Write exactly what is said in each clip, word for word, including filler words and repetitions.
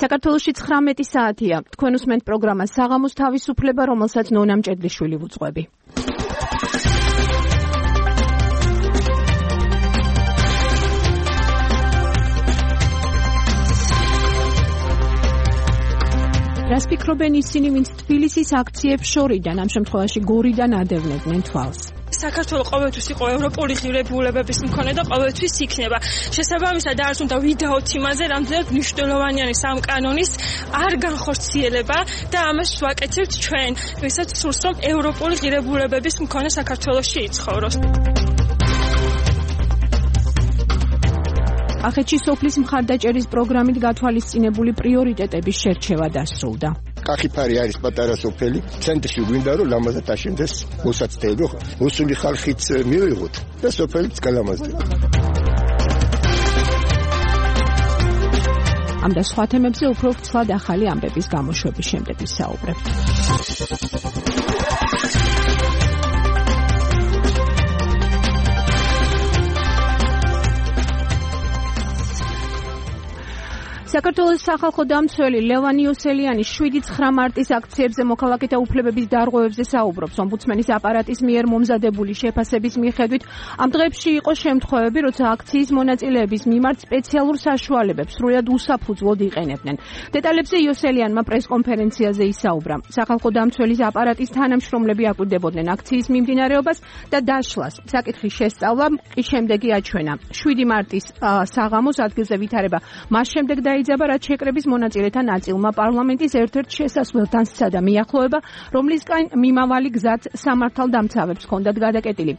საქართველოში ცხრამეტი საათია. თქვენ უსმენთ პროგრამას საღამოს თავისუფლება, რომელსაც ნონა მჭედლიშვილი ვუძღვები. რას ფიქრობენ ისინი, ვინც თბილისის აქციებს შორიდან, ამ შემთხვევაში გორიდან ადევნებდნენ თვალს? საქართველო ყოველთვის იყო ევროპული ღირებულებების მქონე და ყოველთვის იქნება. შესაბამისად, არც უნდა ვიდაოთ იმაზე, რამდენად მნიშვნელოვანია ამ კანონის არ განხორციელება და ამას ვაკეთებთ ჩვენ, ვისაც სურს რომ ევროპული ღირებულებების მქონე საქართველოში იცხოვროს. კახეთში სოფლის მხარდაჭერის პროგრამით გათვალისწინებული პრიორიტეტების შერჩევა დასრულდა. კახიფარი არის პატარა სოფელი, ცენტრში გვინდა რომ ლამაზად აშენდეს მოსაცდელი, მოსული ხალხიც მივიღოთ და სოფელიც გალამაზდება. ამ და სხვა თემებზე უფრო ვრცლად ახალი ამბების გამოშვების შემდეგ ვისაუბრებთ. საქართველოს სახალხო დამცველი ლევან იოსელიანი შვიდი ცხრა მარტის აქციებზე მოქალაქეთა უფლებების დარღვევებზე საუბრობს. ომბუდსმენის აპარატის მიერ მომზადებული შეფასების მიხედვით ამ დღეებში იყო შემთხვევები, როცა აქციის მონაწილეების მიმართ სპეციალურ საშუალებებს სრულად უსაფუძვლოდ იყენებდნენ. დეტალებზე იოსელიანმა პრესკონფერენციაზე ისაუბრა. სახალხო დამცველის აპარატის თანამშრომლები აკვირდებოდნენ აქციის მიმდინარეობას და დაშლას. საკითხის შესწავლა კი შემდეგი აჩვენა. შვიდი მარტის საღამოს ადგილზე ვითარება მას შემდეგ და იძაბა რაც შეკრების მონაწილეთა ნაწილმა პარლამენტის ერთ-ერთ შესასვლელთან სცადა მიახლოება, რომლისგან მიმავალი გზაც სამართალდამცავებს ჰქონდათ გადაკეტილი.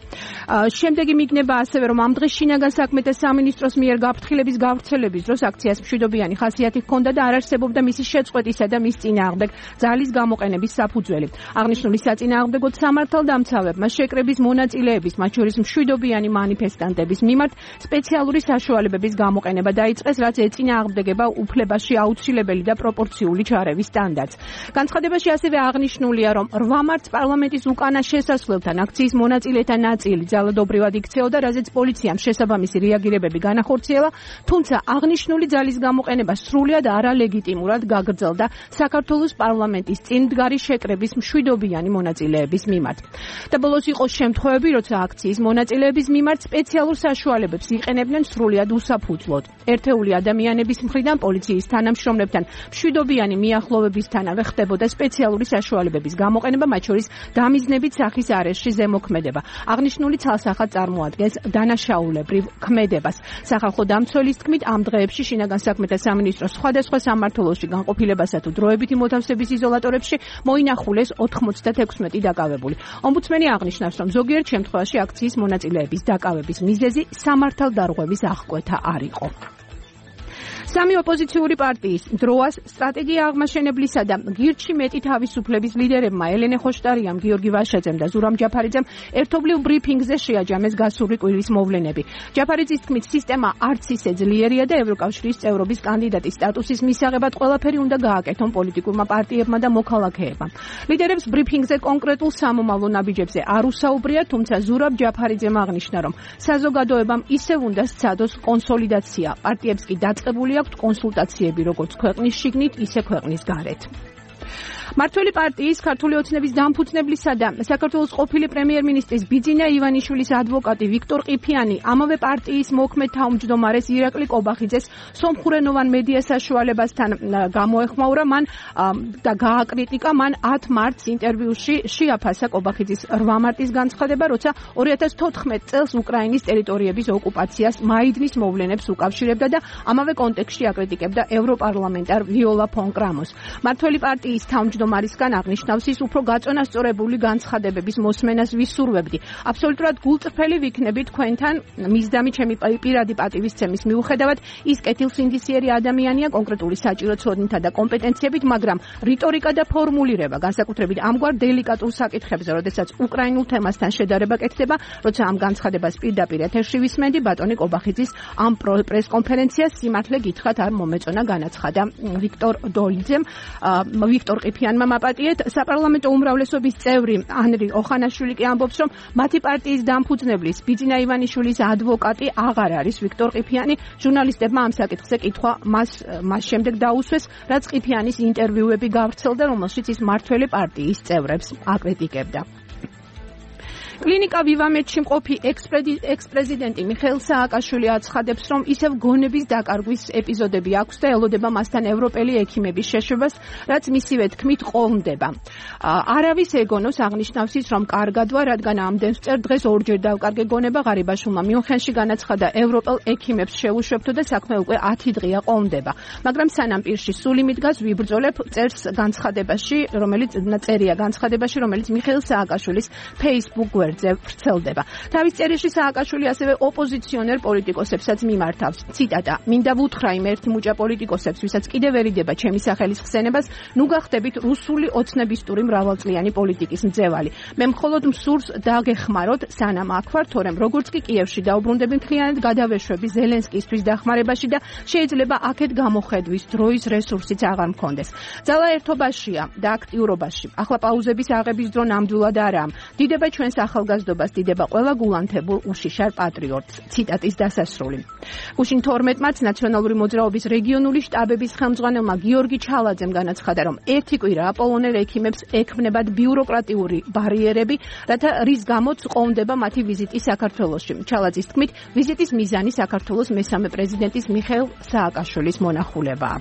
შემდეგი მიგნება ასევე, რომ ამ დღეს შინაგან საქმეთა სამინისტროს მიერ გაფრთხილების გავრცელების დროს აქციას მშვიდობიანი ხასიათი ჰქონდა და არ არსებობდა მისი შეწყვეტისა და მის წინააღმდეგ ძალის გამოყენების საფუძველი. აღნიშნული საწინააღმდეგოდ სამართალდამცავებმა შეკრების მონაწილეების, მათ შორის მშვიდობიანი მანიფესტანტების მიმართ სპეციალური საშუალებების გამოყენება დაიწყეს, რაც ეწინააღმდეგება უფლებაში აუცილებელი და პროპორციული ჩარევის სტანდარტს. განცხადებაში ასევე აღნიშნულია, რომ რვა მარტს პარლამენტის უკანა შესასვლელთან აქციის მონაწილეთა ნაწილი ძალადობრივად იქცეოდა, რაზეც პოლიციამ შესაბამისი რეაგირებები განახორციელა, თუმცა აღნიშნული ძალის გამოყენება სრულად არალეგიტიმურად გაგრძელდა საქართველოს პარლამენტის წინ მდგარი შეკრების მშვიდობიანი მონაწილეების მიმართ. და ბოლოს იყო შემთხვევები, როცა აქციის მონაწილეების მიმართ სპეციალურ საშუალებებს იყენებდნენ სრულად უსაფუძვლოდ. ერთეული ადამიანების მხრიდან პოლიციის თანამშრომლებთან მშვიდობიანი მიახლოებისთანავე ხდებოდა სპეციალური საშუალებების გამოყენება, მათ შორის დამიზნებით სახის არეშში ზემოქმედება. აღნიშნული ცალსახად წარმოადგენს დანაშაულებრივ ქმედებას. სახალხო დამცველის თქმით, ამ დღეებში შინაგან საქმეთა სამინისტროს სხვადასხვა სამმართველოში განყოფილებასა თუ დროებითი მოთავსების იზოლატორებში მოინახულეს ოთხმოცდათექვსმეტი დაკავებული. ომბუდსმენი აღნიშნავს, რომ ზოგიერთ შემთხვევაში აქციის მონაწილეების დაკავების მიზეზი სამართალდარღვევის აღკვეთა არ იყო. სამი ოპოზიციური პარტიის დროას სტრატეგია აღმაშენებლისა და გირჩი მეტი თავისუფლების ლიდერებმა ელენე ხოშტარიამ, გიორგი ვაშაძემ და ზურამ ჯაფარიძემ ერთობლივ ბრიფინგზე შეაჯამეს გასული კვირის მოვლენები. ჯაფარიძის თქმით, სისტემა არც ისე ძლიერია და ევროკავშირის წევრობის კანდიდატის სტატუსის მისაღებად ყველაფერი უნდა გააკეთონ პოლიტიკურმა პარტიებმა და მოქალაქეებმა. ლიდერებს ბრიფინგზე კონკრეტულ სამომავლო ნაბიჯებზე არ უსაუბრია, თუმცა ზურაბ ჯაფარიძემ აღნიშნა, რომ საზოგადოებამ ისევ უნდა სცადოს კონსოლიდაცია. პარტიებს კი დაწყებული აქვთ კონსულტაციები როგორც ქვეყნის შიგნით, ისე ქვეყნის გარეთ. მართველი პარტიის ქართული ოცნების დამფუძნებლისა და საქართველოს ყოფილი პრემიერ-მინისტრის ბიძინა ივანიშვილის ადვოკატი ვიქტორ ყიფიანი ამავე პარტიის მოქმედ თავმჯდომარეს ირაკლი კობახიძეს სომხურენოვან მედია საშუალებასთან გამოეხმაურა მან და გააკრიტიკა მან ათ მარტს ინტერვიუში შეაფასა კობახიძის რვა მარტის განცხადება, როცა ორი ათას თოთხმეტ წელს უკრაინის ტერიტორიების ოკუპაციას მაიდნის მოვლენებს უკავშირებდა და ამავე კონტექსტში აკრიტიკებდა ევროპარლამენტარ ვიოლა ფონ კრამოს. მართველი პარტიის თავმჯდომარისგან აღნიშნავს ის უფრო გაწონასწორებული განცხადებების მოსმენას ვისურვებდი. აბსოლუტურად გულწრფელი ვიქნები თქვენთან მისდამი ჩემი პირადი პატივისცემის მიუხედავად ის კეთილსინდისიერი ადამიანია კონკრეტული საჭირო ცოდნითა და კომპეტენციებით, მაგრამ რიტორიკა და ფორმულირება განსაკუთრებით ამგვარ დელიკატურ საკითხებზე, როდესაც უკრაინულ თემასთან შედარება კეთდება, როცა ამ განცხადებას პირდაპირ ეთერში ვისმენდი, ბატონი კობახიძის ამ პრესკონფერენციას სიმართლე გითხრათ არ მომეწონა, განაცხადა ვიქტორ დოლიძემ, ვიქტორ ყიფიანი ყიფიანმა მაპატიეთ. საპარლამენტო უმრავლესობის წევრი ანრი ოხანაშვილი კი ამბობს, რომ მათი პარტიის დამფუძნებლის ბიძინა ივანიშვილის ადვოკატი აღარ არის ვიქტორ ყიფიანი. ჟურნალისტებმა ამ საკითხზე კითხვა მას მას შემდეგ დაუსვეს, რაც ყიფიანის ინტერვიუები გავრცელდა, რომელშიც ის მართველი პარტიის წევრებს აკრიტიკებდა. კლინიკა ვივამედში მყოფი ექს-პრეზიდენტი მიხეილ სააკაშვილი აცხადებს, რომ ისევ გონების დაკარგვის ეპიზოდები აქვს და ელოდება მასთან ევროპელი ექიმების შეშვებას, რაც მისივე თქმით ყოლმდება. არავის ეგონოს აღნიშნავს ის, რომ კარგადვა, რადგან ამდენს წერ დღეს ორჯერ დავკარგე გონება. ღარიბაშვილმა მიუნხენში განაცხადა, ევროპელ ექიმებს შევუშვებთო და საქმე უკვე ათი დღეა ყოლმდება. მაგრამ სანამ პირში სული მიდგას, ვიბრძოლებ წერს განცხადებაში, რომელიც წერია განცხადებაში, რომელიც მიხეილ სააკაშვილის Facebook გვერდზე ვრცელდება. თავის წერილში სააკაშვილი ასევე ოპოზიციონერ პოლიტიკოსებსაც მიმართავს. ციტატა: "მინდა ვუთხრა იმ ერთ მუჭა პოლიტიკოსებს, ვისაც კიდევ ვერიდება ჩემი სახელის ხსენებას, ნუ გახდებით რუსული ოცნებისტური მრავალწლიანი პოლიტიკის მძევალი. მე მხოლოდ მსურს დაგეხმაროთ, სანამ აქ ვარ, თორემ როგორც კი კიევში დაუბრუნდები, მთლიანად გადავეშვები ზელენსკისთვის დახმარებაში და შეიძლება აქეთ გამოხედვის დროის რესურსიც აღარ მქონდეს. ძალა ერთობაშია და აქტიურობაში. ახლა პაუზების აღების დრო ნამდვილად არაა. დიდება ჩვენს ახალგაზრდობას, დიდება ყველა გულანთებულ უშიშარ პატრიოტს." ციტატის დასასრული. გუშინ თორმეტ მარტს ნაციონალური მოძრაობის რეგიონული შტაბების ხელმძღვანელმა გიორგი ჩალაძემ განაცხადა, რომ ერთი კვირა აპოლონელ ექიმებს ექმნებათ ბიუროკრატიული ბარიერები, რათა რის გამოც ყოლმდება მათი ვიზიტი საქართველოში. ჩალაძის თქმით, ვიზიტის მიზანი საქართველოს მესამე პრეზიდენტის მიხეილ სააკაშვილის მონახულებაა.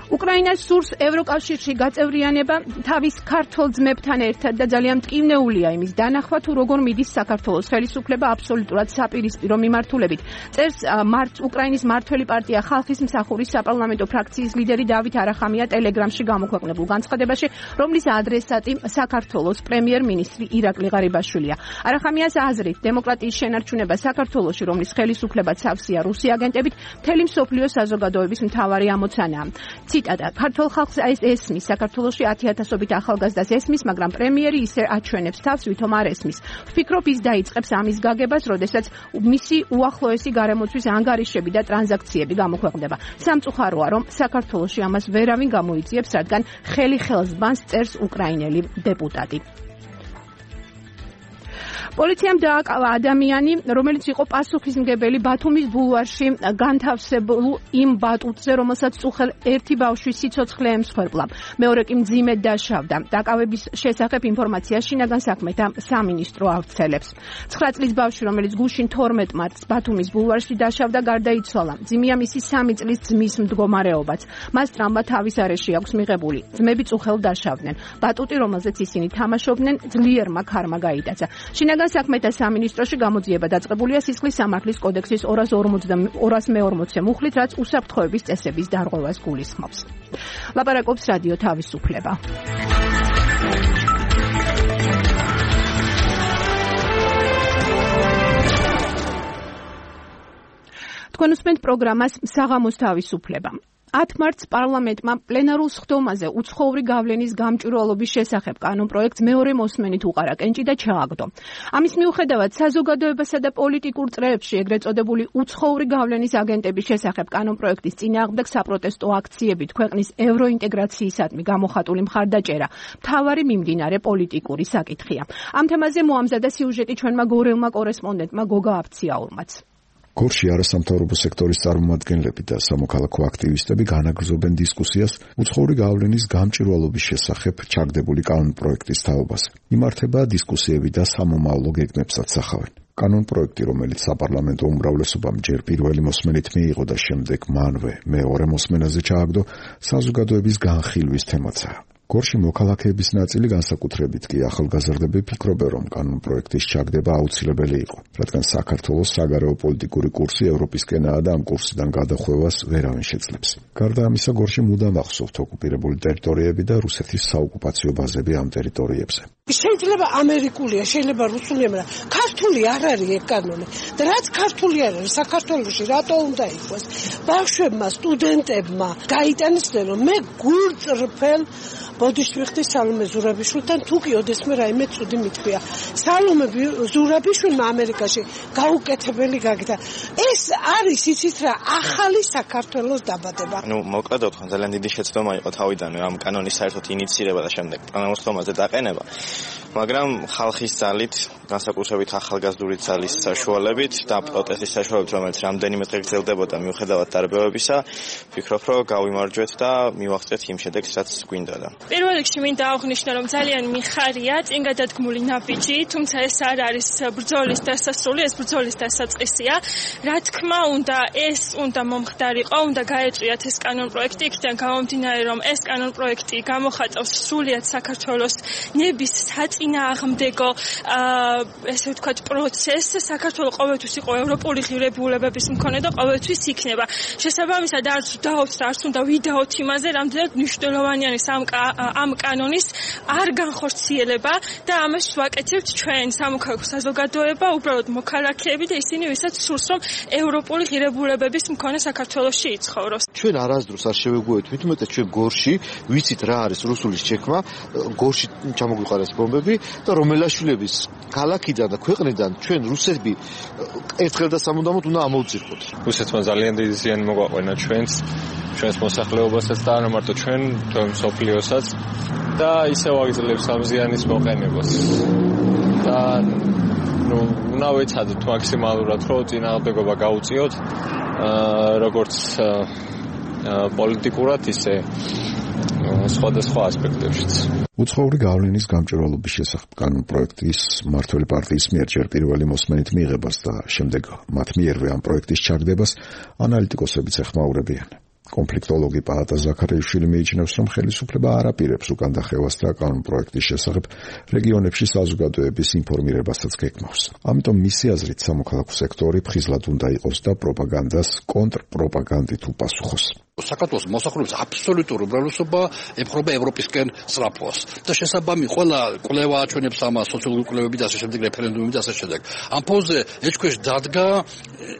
უკრაინას სურს ევროკავშირში გაწევრიანება თავის ქართველ ძმებთან ერთად და ძალიან მტკივნეულია იმის დანახვა, თუ როგორ მიდის საქართველოს ხელისუფლება აბსოლუტურად საპირისპირო მიმართულებით. წერს მარც უკრაინის მართველი პარტია ხალხის მსახურის საპარლამენტო ფრაქციის ლიდერი დავით არახამია ტელეგრამში გამოქვეყნებულ განცხადებაში, რომლის ადრესატი საქართველოს პრემიერ-მინისტრი ირაკლი ღარიბაშვილია. არახამიას აზრით, დემოკრატიის შენარჩუნება საქართველოში, რომლის ხელისუფლებაც სავსეა რუსი აგენტებით, მთელი მსოფლიოს საზოგადოების მთავარი ამოცანაა. ციტატა: "ქართულ ხალხს ესმის, საქართველოში ათი ათასობით ახალგაზრდას ესმის, მაგრამ პრემიერი ისე აჩვენებს თავს, ვითომ არ ესმის. ვფიქრობ, ის დაიწყებს ამის გაგებას, როდესაც მისი უახლოესი გარემოცვის ანგარიშები და ტრანზაქციები გამოქვეყნდება. სამწუხაროა, რომ საქართველოში ამას ვერავინ გამოიწიებს, რადგან ხელი ხელს ბანს", წერს უკრაინელი დეპუტატი. პოლიციამ დააკავა ადამიანი, რომელიც იყო პასუხისმგებელი ბათუმის ბულვარში განთავსებულ იმ ბატუტზე, რომელსაც წუხელ ერთი ბავშვის სიცოცხლე ემსხვერპლა. მეორე კი მძიმედ დაშავდა. დაკავების შესახებ ინფორმაცია შინაგან საქმეთა სამინისტრო ავრცელებს. ცხრა წლის ბავშვი, რომელიც გუშინ თორმეტ მარტს ბათუმის ბულვარში დაშავდა, გარდაიცვალა. მძიმეა მისი სამი წლის ძმის მდგომარეობაც. მას ტრამვა თავის არეში აქვს მიღებული. ძმები წუხელ დაშავდნენ. ბატუტი, რომელზეც ისინი თამაშობდნენ, ძლიერმა ქარმა გაიტაცა. შინაგან საქმეთა სამინისტროში გამოძიება დაწყებულია სისხლის სამართლის კოდექსის ორას მეორმოცე მუხლით, რაც უსაფრთხოების წესების დარღვევას გულისხმობს. ლაპარაკობს რადიო თავისუფლება. თქვენ უსმენთ პროგრამას საღამოს თავისუფლება. ათი მარტს პარლამენტმა პლენარულ სხდომაზე უცხოური გავლენის გამჭვირვალობის შესახებ კანონპროექტს მეორე მოსმენით უყარა კენჭი და ჩააგდო. ამის მიუხედავად საზოგადოებასა და პოლიტიკურ წრეებში ეგრეთ წოდებული უცხოური გავლენის აგენტების შესახებ კანონპროექტის წინააღმდეგ საპროტესტო აქციებით ქვეყნის ევროინტეგრაციისადმი გამოხატული მხარდაჭერა მთავარი მიმდინარე პოლიტიკური საკითხია. ამ თემაზე მოამზადა სიუჟეტი ჩვენმა გორელმა კორესპონდენტმა გოგა აფციაურმაც. გორში არასამთავრობო სექტორის წარმომადგენლები და სამოქალაქო აქტივისტები განაგრძობენ დისკუსიას უცხოური გავლენის გამჭვირვალობის შესახებ ჩაგდებული კანონპროექტის თაობაზე. იმართება დისკუსიები და სამომავლო გეგმებსაც სახავენ. კანონპროექტი, რომელიც საპარლამენტო უმრავლესობამ ჯერ პირველი მოსმენით მიიღო და შემდეგ მანვე მეორე მოსმენაზე ჩააგდო, საზოგადოების განხილვის თემაცაა. გორში მოქალაქეების ნაწილი განსაკუთრებით კი ახალგაზრდები ფიქრობენ, რომ კანონპროექტის ჩაგდება აუცილებელი იყო, რადგან საქართველოს საგარეო პოლიტიკური კურსი ევროპისკენაა და ამ კურსიდან გადახვევას ვერავინ შეძლებს. გარდა ამისა, გორში მუდამ ახსოვთ ოკუპირებული ტერიტორიები და რუსეთის საოკუპაციო ბაზები ამ ტერიტორიებზე. შეიძლება ამერიკულია, შეიძლება რუსულია, მაგრამ ქართული არ არის ეგ კანონი. და რაც ქართული არ არის, საქართველოში რატო უნდა იყოს? ბავშვებმა, სტუდენტებმა გაიტანისდნენ, რომ მე გულწრფელ ბოდიშვიხტი სალომე ზურაბიშვილთან თუ კი ოდესმე რაიმე ცუდი მithქვია. სალომე ზურაბიშვილმა ამერიკაში გაუკეთებელი გაგდა. ეს არის იცით რა, ახალი საქართველოს დაბადება. ნუ მოკლედ ვთქვი, ძალიან დიდი შეცდომა იყო თავიდანვე ამ კანონის საერთოდ ინიცირება და შემდეგ პლანოსხდომაზე დაყენება. მაგრამ ხალხის ძალით, განსაკუთრებით ახალგაზრდული ძალის საშუალებით და პროტესტის საშუალებით, რომელიც რამდენიმე დღე გრძელდებოდა მიუხედავად დარბევებისა, ვფიქრობ, რომ გავიმარჯვეთ და მივაღწიეთ იმ შედეგს, რაც გვინდოდა. პირველ რიგში მინდა აღვნიშნო, რომ ძალიან მიხარია წინგადადგმული ნაბიჯი, თუმცა ეს არ არის ბრძოლის დასასრული, ეს ბრძოლის დასაწყისია. რა თქმა უნდა, ეს უნდა მომხდარიყო, უნდა გაეწვიათ ეს კანონპროექტი, იქიდან გამომდინარე, რომ ეს კანონპროექტი გამოხატავს სრულიად საქართველოს ნების საწინააღმდეგო, ესე ვთქვათ, პროცესს. საქართველო ყოველთვის იყო ევროპული ღირებულებების მქონე და ყოველთვის იქნება. შესაბამისად, არც დავთ, არც უნდა ვიდაოთ იმაზე, რამდენად მნიშვნელოვანი არის ამ ამ კანონის არ განხორციელება და ამას ვაკეთებთ ჩვენ სამოქალაქო საზოგადოება, უბრალოდ მოქალაქეები და ისინი, ვისაც სურს, რომ ევროპული ღირებულებების მქონე საქართველოში იცხოვროს. ჩვენ არასდროს არ შევეგუებით, მithumetes ჩვენ გორში ვიცით რა არის რუსულის ჩექმა, გორში ჩამოგვიყარეს ბომბები და რომელაშვილების ქალაქიდან და ქვეყნიდან ჩვენ რუსები ერთხელ და სამუდამოდ უნდა ამოვძირყოთ. რუსეთმა ძალიან დიდი ზიანი მოგვაყვანა ჩვენს, ჩვენს მოსახლეობასაც და არა მარტო ჩვენ, თუმცა მსოფლიოსაც და ისევ აგძლევს ამ ზიანის მოყენებას. და ნუ უნდა ვეცადოთ მაქსიმალურად, რომ წინააღმდეგობა გაუწიოთ, როგორც პოლიტიკურად, ისე სხვადასხვა ასპექტებშიც. უცხოური გავლენის გამჭვირვალობის შესახებ კანონპროექტის მმართველი პარტიის მიერ ჯერ პირველი მოსმენით მიიღებას და შემდეგ მათ მიერვე ამ პროექტის ჩაგდებას ანალიტიკოსებიც ეხმაურებიან. კონფლიქტოლოგი პაატა ზაქარიაშვილი მიიჩნევს, რომ ხელისუფლება არ აპირებს უკან დახევას და კანონპროექტის შესახებ რეგიონებში საზოგადოების ინფორმირებასაც გეკმავს. ამიტომ მისი აზრით სამოქალაქო სექტორი ფხიზლად უნდა იყოს და პროპაგანდას კონტრპროპაგანდით უპასუხოს. საქართველოს მოსახლეობის აბსოლუტური უმრავლესობა ემხრობა ევროპისკენ სწრაფვას და შესაბამი ყველა კვლევა აჩვენებს ამას, სოციოლოგიური კვლევები და ასე შემდეგ, რეფერენდუმები და ასე შემდეგ. ამ ფონზე ეჭქვეშ დადგა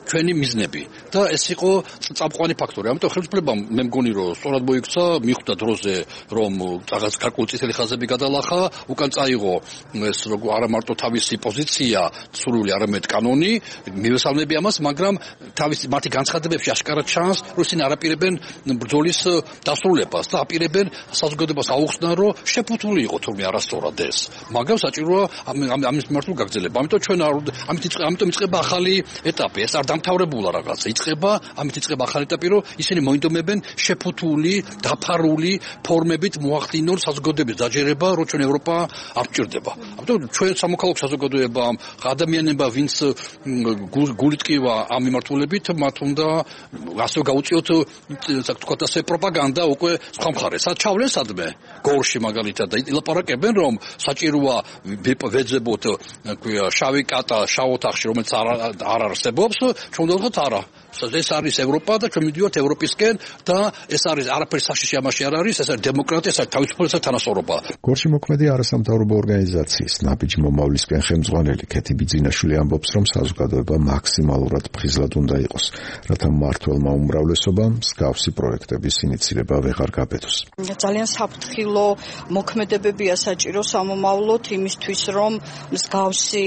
ჩვენი მიზნები და ეს იყო წამყვანი ფაქტორი. ამიტომ ხელისუფლებამ მე მგონი, რომ სწორად მოიქცა, მიხვდა დროზე, რომ რაღაც გარკვეული წითელი ხაზები გადალახა, უკან წაიღო ეს როგორ არა მარტო თავისი პოზიცია, სრული არამედ კანონი, მივესალმები ამას, მაგრამ თავისი მათი განცხადებებში აშკარად ჩანს, რომ ისინი არ აპირებენ ბრძოლის დასრულებას და აპირებენ საზოგადოებას აუხსნან, რომ შეფუთული იყო თურმე არასწორად ეს. მაგრამ საჭიროა ამის მიმართულ გაგრძელება. ამიტომ ჩვენ ამიტომ იწყება ახალი ეტაპი. ეს არ დამთავრებულა რაღაცა. იწყება, ამით იწყება ახალი ეტაპი, რომ ისინი მოინდომებენ შეფუთული, დაფარული ფორმებით მოახდინონ საზოგადოების დაჯერება, რომ ჩვენ ევროპა არ გჭირდება. ამიტომ ჩვენ სამოქალაქო საზოგადოება, ადამიანებმა, ვინც გულით ყივა ამ მიმართულებით, მათ უნდა ასე გაუწიოთ თქვათ ასე პროპაგანდა უკვე სხვა მხარეს. ჩავლენ სადმე გორში მაგალითად და ილაპარაკებენ, რომ საჭიროა ვეძებოთ შავი კატა შავ ოთახში, რომელიც არ არსებობს, ჩვენ ვთქვათ არა. ეს არის ევროპა და ჩვენ მივიდივართ ევროპისკენ და ეს არის არაფერი საშიში ამაში არ არის, ეს არის დემოკრატია, ეს არის თავისუფლება, თანასწორობა. გორში მოქმედი არასამთავრობო ორგანიზაციის ნაბიჯი მომავლისკენ ხელმძღვანელი ქეთი ბიძინაშვილი ამბობს, რომ საზოგადოება მაქსიმალურად ფხიზლად უნდა იყოს, რათა მმართველმა უმრავლესობამ მსგავსი პროექტების ინიცირება ვეღარ გაბედოს. ძალიან საფრთხილო მოქმედებებია საჭირო სამომავლოდ იმისთვის, რომ მსგავსი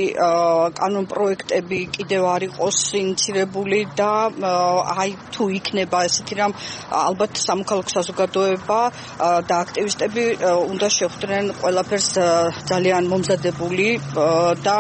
კანონპროექტები კიდევ არ იყოს ინიცირებული და აი თუ იქნება ესეთი რამ ალბათ სამოქალაქო საზოგადოება და აქტივისტები უნდა შეხვდნენ ყველაფერს ძალიან მომზადებული და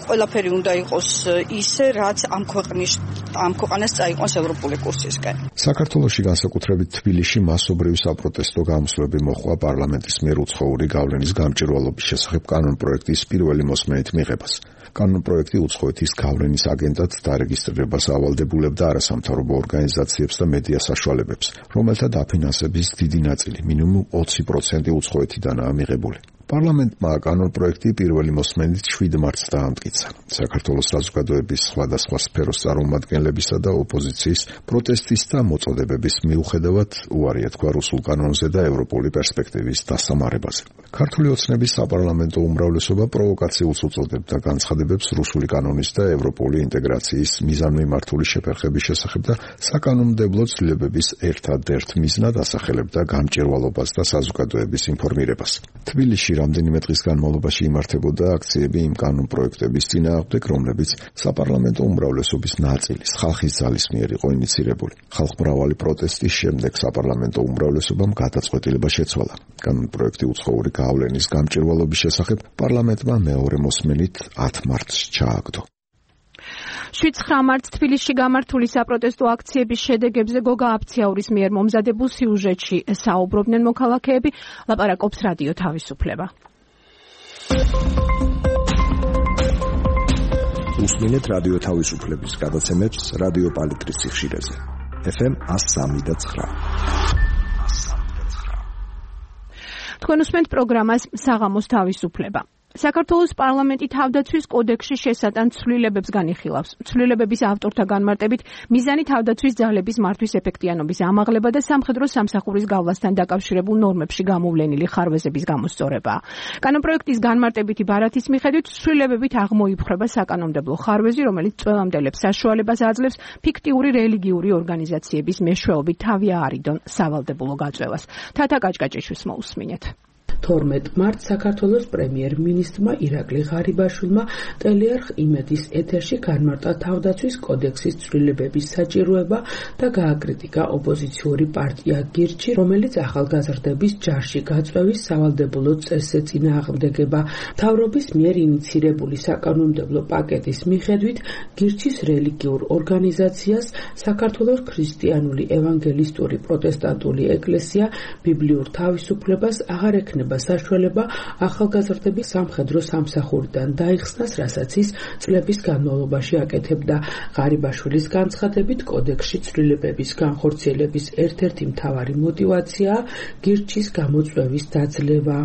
ყველაფერი უნდა იყოს ისე, რაც ამ ქვეყნის ამ ქვეყანას წაიყვანს ევროპული კურსისკენ. საქართველოში განსაკუთრებით თბილისში მასობრივი საპროტესტო გამოსვლები მოჰყვა პარლამენტის მიერ უცხოური გავლენის გამჭვირვალობის შესახებ კანონპროექტის პირველი მოსმენით მიღებას. კანონპროექტი უცხოეთის გავლენის აგენტად დარეგისტრირებას ავალდებულებდა არასამთავრობო ორგანიზაციებს და მედია საშუალებებს, რომელთა დაფინანსების დიდი ნაწილი, მინიმუმ ოცი პროცენტი უცხოეთიდანაა მიღებული. პარლამენტმა კანონპროექტი პირველი მოსმენით შვიდ მარტს დაამტკიცა. საქართველოს საზოგადოების სხვადასხვა სფეროს წარმომადგენლებისა და ოპოზიციის პროტესტის და მოწოდებების მიუხედავად უარი ეთქვა რუსულ კანონზე და ევროპული პერსპექტივის დასამარებაზე. ქართული ოცნების საპარლამენტო უმრავლესობა პროვოკაციულს უწოდებდა განცხადებებს რუსული კანონის და ევროპული ინტეგრაციის მიზანმიმართული შეფერხების შესახებ და საკანონმდებლო ცვლილებების ერთადერთ მიზნად ასახელებდა გამჭირვალობას და საზოგადოების ინფორმირებას. თბილისში რამდენიმე დღის განმავლობაში იმართებოდა აქციები იმ კანონპროექტების წინააღმდეგ, რომლებიც საპარლამენტო უმრავლესობის ნაწილის ხალხის ძალის მიერ იყო ინიცირებული. ხალხმრავალი პროტესტის შემდეგ საპარლამენტო უმრავლესობამ გადაწყვეტილება შეცვალა. კანონპროექტი უცხოური გავლენის გამჭირვალობის შესახებ პარლამენტმა მეორე მოსმენით ათ მარტს ჩააგდო. შვიდ მარტს თბილისში გამართული საპროტესტო აქციების შედეგებზე გოგა აფციაურის მიერ მომზადებულ სიუჟეტში საუბრობდნენ მოქალაქეები, ლაპარაკობს რადიო თავისუფლება. უსმინეთ რადიო თავისუფლების გადაცემებს რადიო პალიტრის სიხშირეზე. ეფ ემ one oh three point nine. თქვენ უსმენთ პროგრამას საღამოს თავისუფლება. საქართველოს პარლამენტი თავდაცვის კოდექსში შესატან ცვლილებებს განიხილავს. ცვლილებების ავტორთა განმარტებით, მიზანი თავდაცვის ძალების მართვის ეფექტიანობის ამაღლება და სამხედრო სამსახურის გავლასთან დაკავშირებულ ნორმებში გამოვლენილი ხარვეზების გამოსწორებაა. კანონპროექტის განმარტებითი ბარათის მიხედვით, ცვლილებებით აღმოიფხვრება საკანონმდებლო ხარვეზი, რომელიც წველამდელებს საშუალებას აძლევს ფიქტიური რელიგიური ორგანიზაციების მეშვეობით თავი აარიდონ სავალდებულო გაწევას. თათა კაჭკაჭიშვილს მოусმინეთ. თორმეტ მარტს საქართველოს პრემიერ-მინისტრმა ირაკლი ღარიბაშვილმა ტელეარხ იმედის ეთერში განმარტა თავდაცვის კოდექსის ცვლილებების საჭიროება და გააკრიტიკა ოპოზიციური პარტია გირჩი, რომელიც ახალგაზრდების ჯარში გაწვევის სავალდებულო წესზე წინააღმდეგება. მთავრობის მიერ ინიცირებული საკანონმდებლო პაკეტის მიხედვით გირჩის რელიგიურ ორგანიზაციას საქართველოს ქრისტიანული ევანგელისტური პროტესტანტული ეკლესია ბიბლიურ თავისუფლებას აღარ ექნება საშუალება ახალგაზრდების სამხედრო სამსახურიდან დაიხსნას, რასაც ის წლების განმავლობაში აკეთებდა. ღარიბაშვილის განცხადებით, კოდექსში ცვლილებების განხორციელების ერთ-ერთი მთავარი мотиваციაა გირჩის გამოწვევის დაძლევა.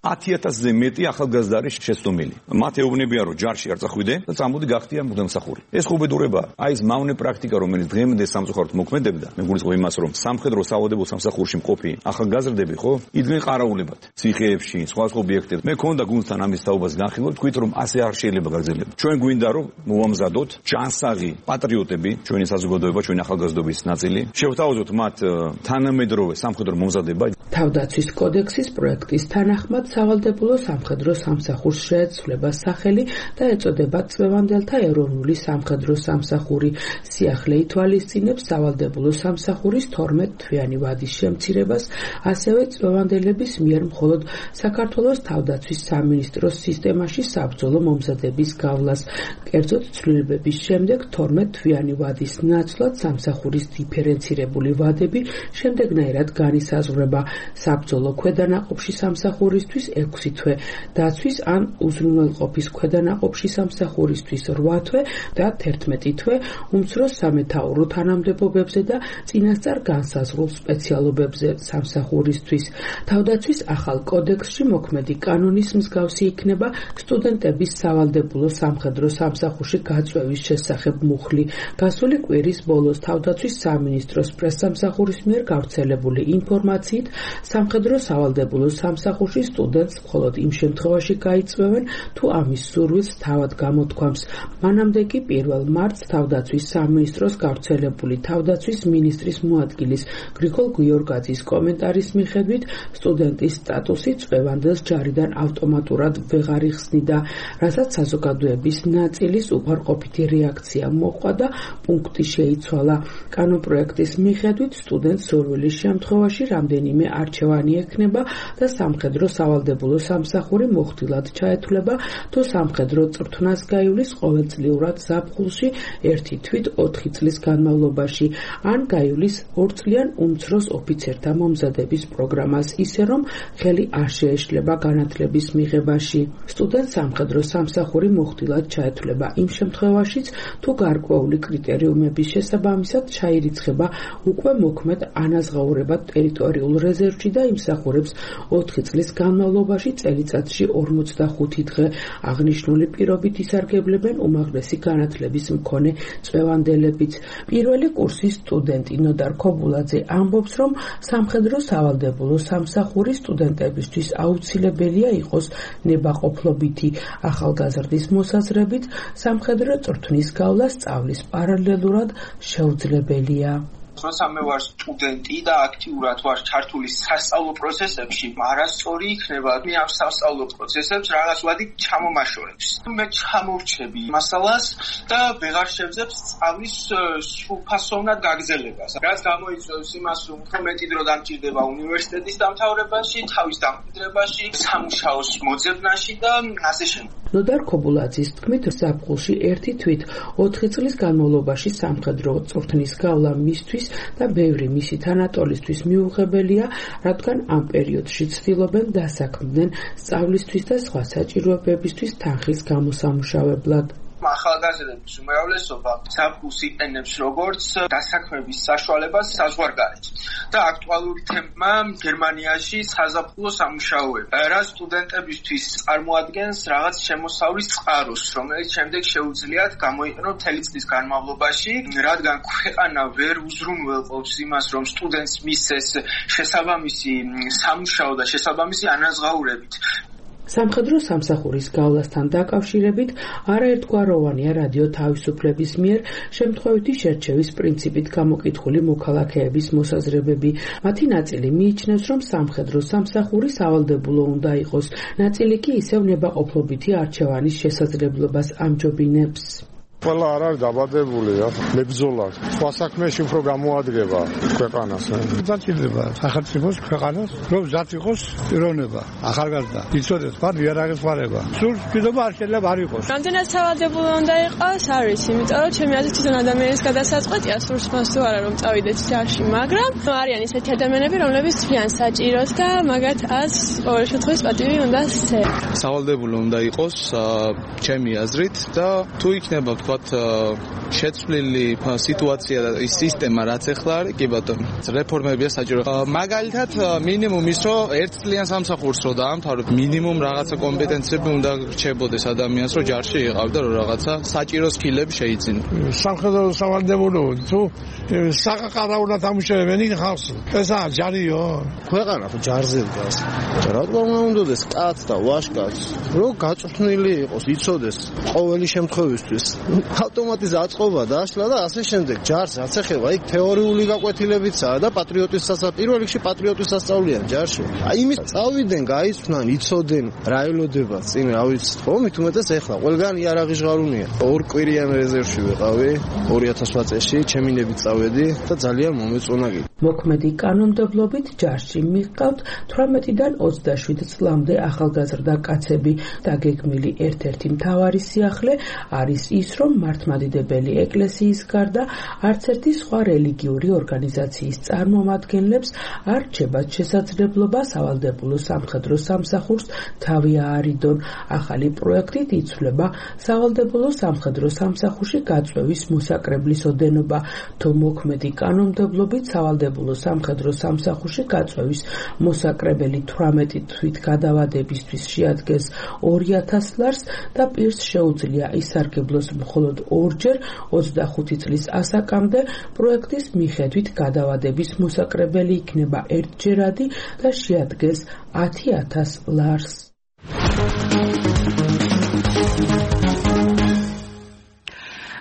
ათი ათასზე მეტი ახალგაზრდა არის შეცდომილი. მათ ეუბნებიან, რომ ჯარში არ წახვიდე და წამოდი გახდიან მუდამსახური. ეს უბედურება, აი ეს მავნე პრაქტიკა, რომელიც დღემდე სამწუხაროდ მოქმედებდა, მე გულისხმობ იმას, რომ სამხედრო სავალდებულო სამსახურში მყოფი ახალგაზრდები ხო იდგნენ ყარაულებად, ციხეებში, სხვა სხვა ობიექტებში. მე მქონდა გუნდთან ამის თაობას განხილვა, თქვით რომ ასე არ შეიძლება გაგრძელება. ჩვენ გვინდა რომ მოვამზადოთ ჯანსაღი პატრიოტები, ჩვენი საზოგადოება, ჩვენი ახალგაზრდობის ნაწილი, შევთავაზოთ მათ თანამედროვე სამხედრო მომზადება. თავდაცვის კოდექსის პროექტის თანახმად სავალდებულო სამხედრო სამსახურს შეეცვლება სახელი და ეწოდება წლევანდელთა ეროვნული სამხედრო სამსახური. სიახლე ითვალისწინებს სავალდებულო სამსახურის თორმეტ თვიანი ვადის შემცირებას, ასევე წლევანდელების მიერ მხოლოდ საქართველოს თავდაცვის სამინისტროს სისტემაში საბრძოლო მომზადების გავლას. კერძოდ ცვლილებების შემდეგ თორმეტ თვიანი ვადის ნაცვლად სამსახურის დიფერენცირებული ვადები შემდეგნაირად განისაზღვრება: საბრძოლო ქვედანაყოფში სამსახურისთვის ექვსი თვე, დაცვის ან უზრუნველყოფის ქვედანაყოფში სამსახურისთვის რვა თვე და თერთმეტი თვე, უმცროს სამეთაურო თანამდებობებზე და წინასწარ განსაზღვრულ სპეციალობებზე სამსახურისთვის. თავდაცვის ახალ კოდექსში მოქმედი კანონის მსგავსი იქნება სტუდენტების სავალდებულო სამხედრო სამსახურში გაწვევის შესახებ მუხლი. გასული კვირის ბოლოს თავდაცვის სამინისტროს პრესსამსახურის მიერ გავრცელებული ინფორმაციით, სამხედრო სავალდებულო სამსახურში სტუდენტს მხოლოდ იმ შემთხვევაში გაიწვევენ, თუ ამის სურვილს თავად გამოთქვამს. მანამდე კი პირველ მარტს თავდაცვის სამინისტროს გავრცელებული თავდაცვის მინისტრის მოადგილის გრიგოლ გიორგაძის კომენტარის მიხედვით, სტუდენტის სტატუსი წვევანდელს ჯარიდან ავტომატურად ვეღარ იხსნიდა, რასაც საზოგადოების ნაწილის უარყოფითი რეაქცია მოჰყვა და პუნქტი შეიცვალა. კანონპროექტის მიხედვით, სტუდენტს სურვილის შემთხვევაში რამდენიმე არჩევანი ექნება და სამხედრო სავალდებულო სამსახური მოხდილად ჩაეთვლება, თუ სამხედრო წრთნას გაივლის ყოველწლიურად ზაფხულში ერთი თვით ოთხი წლის განმავლობაში, ან გაივლის ორწლიან უმცროს ოფიცერთა მომზადების პროგრამას, ისე რომ ხელი არ შეეშლება განათლების მიღებაში. სტუდენტს სამხედრო სამსახური მოხდილად ჩაეთვლება იმ შემთხვევაშიც, თუ გარკვეული კრიტერიუმების შესაბამისად ჩაირიცხება უკვე მოქმედ ანაზღაურებად ტერიტორიულ რეზერვში რეზერვში და იმსახურებს ოთხი წლის განმავლობაში წელიწადში ორმოცდახუთი დღე. აღნიშნული პირობით ისარგებლებენ უმაღლესი განათლების მქონე წვევანდელებიც. პირველი კურსის სტუდენტი ნოდარ ქობულაძე ამბობს, რომ სამხედრო სავალდებულო სამსახური სტუდენტებისთვის აუცილებელია იყოს ნებაყოფლობითი. ახალგაზრდის მოსაზრებით სამხედრო წვრთნის გავლა სწავლის პარალელურად შეუძლებელია. როცა მე ვარ სტუდენტი და აქტიურად ვარ ჩართული სასწავლო პროცესებში, არასწორი იქნება მე ამ სასწავლო პროცესებს რაღაც ვადი ჩამომაშორებს. მე ჩამორჩები მასალას და ვეღარ შევძებ სწავლის სრულფასოვნად გაგრძელებას. რაც გამოიწვევს იმას, რომ უფრო მეტი დრო დამჭირდება უნივერსიტეტის დამთავრებაში, თავის დამკვიდრებაში, სამუშაოს მოძებნაში და ასე შემდეგ. ნოდარ ქობულაძის თქმით, ზაფხულში ერთი თვით ოთხი წლის განმავლობაში სამხედრო წვრთნის გავლა მისთვის და ბევრი მისი თანატოლისთვის მიუღებელია, რადგან ამ პერიოდში ცდილობენ დასაქმდნენ სწავლისთვის და სხვა საჭიროებებისთვის თანხის გამოსამუშავებლად. ახალგაზრდების უმრავლესობა ზაფხულს იყენებს როგორც დასაქმების საშუალებას საზღვარგარეთ და აქტუალური თემა გერმანიაში საზაფხულო სამუშაოები, რაც სტუდენტებისთვის წარმოადგენს რაღაც შემოსავლის წყაროს, რომელიც შემდეგ შეუძლიათ გამოიყენონ მთელი წლის განმავლობაში, რადგან ქვეყანა ვერ უზრუნველყოფს იმას, რომ სტუდენტს მისცეს შესაბამისი სამუშაო და შესაბამისი ანაზღაურებით. სამხედრო სამსახურის გავლასთან დაკავშირებით არაერთგვაროვანია რადიო თავისუფლების მიერ შემთხვევითი შერჩევის პრინციპით გამოკითხული მოქალაქეების მოსაზრებები. მათი ნაწილი მიიჩნევს, რომ სამხედრო სამსახური სავალდებულო უნდა იყოს, ნაწილი კი ისევ ნებაყოფლობითი არჩევანის შესაძლებლობას ამჯობინებს. ყველა არ არის დაბადებული, მებრძოლად. სხვა საქმეში უფრო გამოადგება ქვეყანას. დაჭირდება სახელმწიფოს ქვეყანას, რომ მზად იყოს პიროვნება, ახალგაზრდა. იცოდეს ფარ იარაღის ხარება. სულ კიდობა არ შეიძლება არ იყოს. რამდენად სავალდებულო უნდა იყოს, არის, იმიტომ რომ ჩემი აზრით თვითონ ადამიანის გადასაწყვეტია, სურს მას თუ არა რომ წავიდეთ ჯარში, მაგრამ არიან ისეთი ადამიანები, რომლებიც თვლიან საჭიროს და მაგათ ას ყოველ შემთხვევაში პატივი უნდა სცენ. სავალდებულო უნდა იყოს ჩემი აზრით და თუ იქნება შეცვლილი სიტუაცია და ის სისტემა რაც ახლა არის, კი ბატონო, რეფორმებია საჭირო. მაგალითად, მინიმუმ ის რომ ერთ წლიან სამსახურს რო დაამთავრებ, მინიმუმ რაღაცა კომპეტენციები უნდა რჩებოდეს ადამიანს, რომ ჯარში იყავდა, რომ რაღაცა საჭირო სკილები შეიძინა. სამხედრო სავალდებულო თუ საყაყარავნა თამუშებენ იქ ხალხს. ესა ჯარიო. ქვეყანა ხო ჯარზე დგას. რატომ უნდა ეს კაც და ვაშკაც, რომ გაწვრთნილი იყოს, იცოდეს ყოველი შემთხვევისთვის. ავტომატიზ აწყობა დაშლა და ასე შემდეგ. ჯარს რაც ეხება, იქ თეორიული გაკვეთილებიცაა და პატრიოტის სასწავლო, პირველ რიგში პატრიოტის სასწავლიან ჯარში. აი იმის წავიდნენ, გაიცვნან, იცოდნენ რა ელოდება წინ, რა ვიცი, ხო, მით უმეტეს ეხლა ყველგან იარაღი ჟღარუნია. ორ კვირიან რეზერვში ვიყავი ორი ათას ოთხ წელში, ჩემინებით წავედი და ძალიან მომეწონა. მოქმედი კანონმდებლობით ჯარში მიჰყავთ თვრამეტიდან ოცდაშვიდ წლამდე ახალგაზრდა კაცები. დაგეგმილი ერთ-ერთი მთავარი სიახლე არის ის, რომ მართლმადიდებელი ეკლესიის გარდა არც ერთი სხვა რელიგიური ორგანიზაციის წარმომადგენლებს არ რჩებათ შესაძლებლობა სავალდებულო სამხედრო სამსახურს თავი აარიდონ. ახალი პროექტით იცვლება სავალდებულო სამხედრო სამსახურში გაწვევის მოსაკრებლის ოდენობა. თუ მოქმედი კანონმდებლობით სავალდებულო სამხედრო სამსახურში გაწვევის მოსაკრებელი თვრამეტი თვით გადავადებისთვის შეადგენს ორი ათას ლარს და პირს შეუძლია ისარგებლოს მხოლოდ ორჯერ ოცდახუთი წლის ასაკამდე, პროექტის მიხედვით გადავადების მოსაკრებელი იქნება ერთჯერადი და შეადგენს ათი ათას ლარს.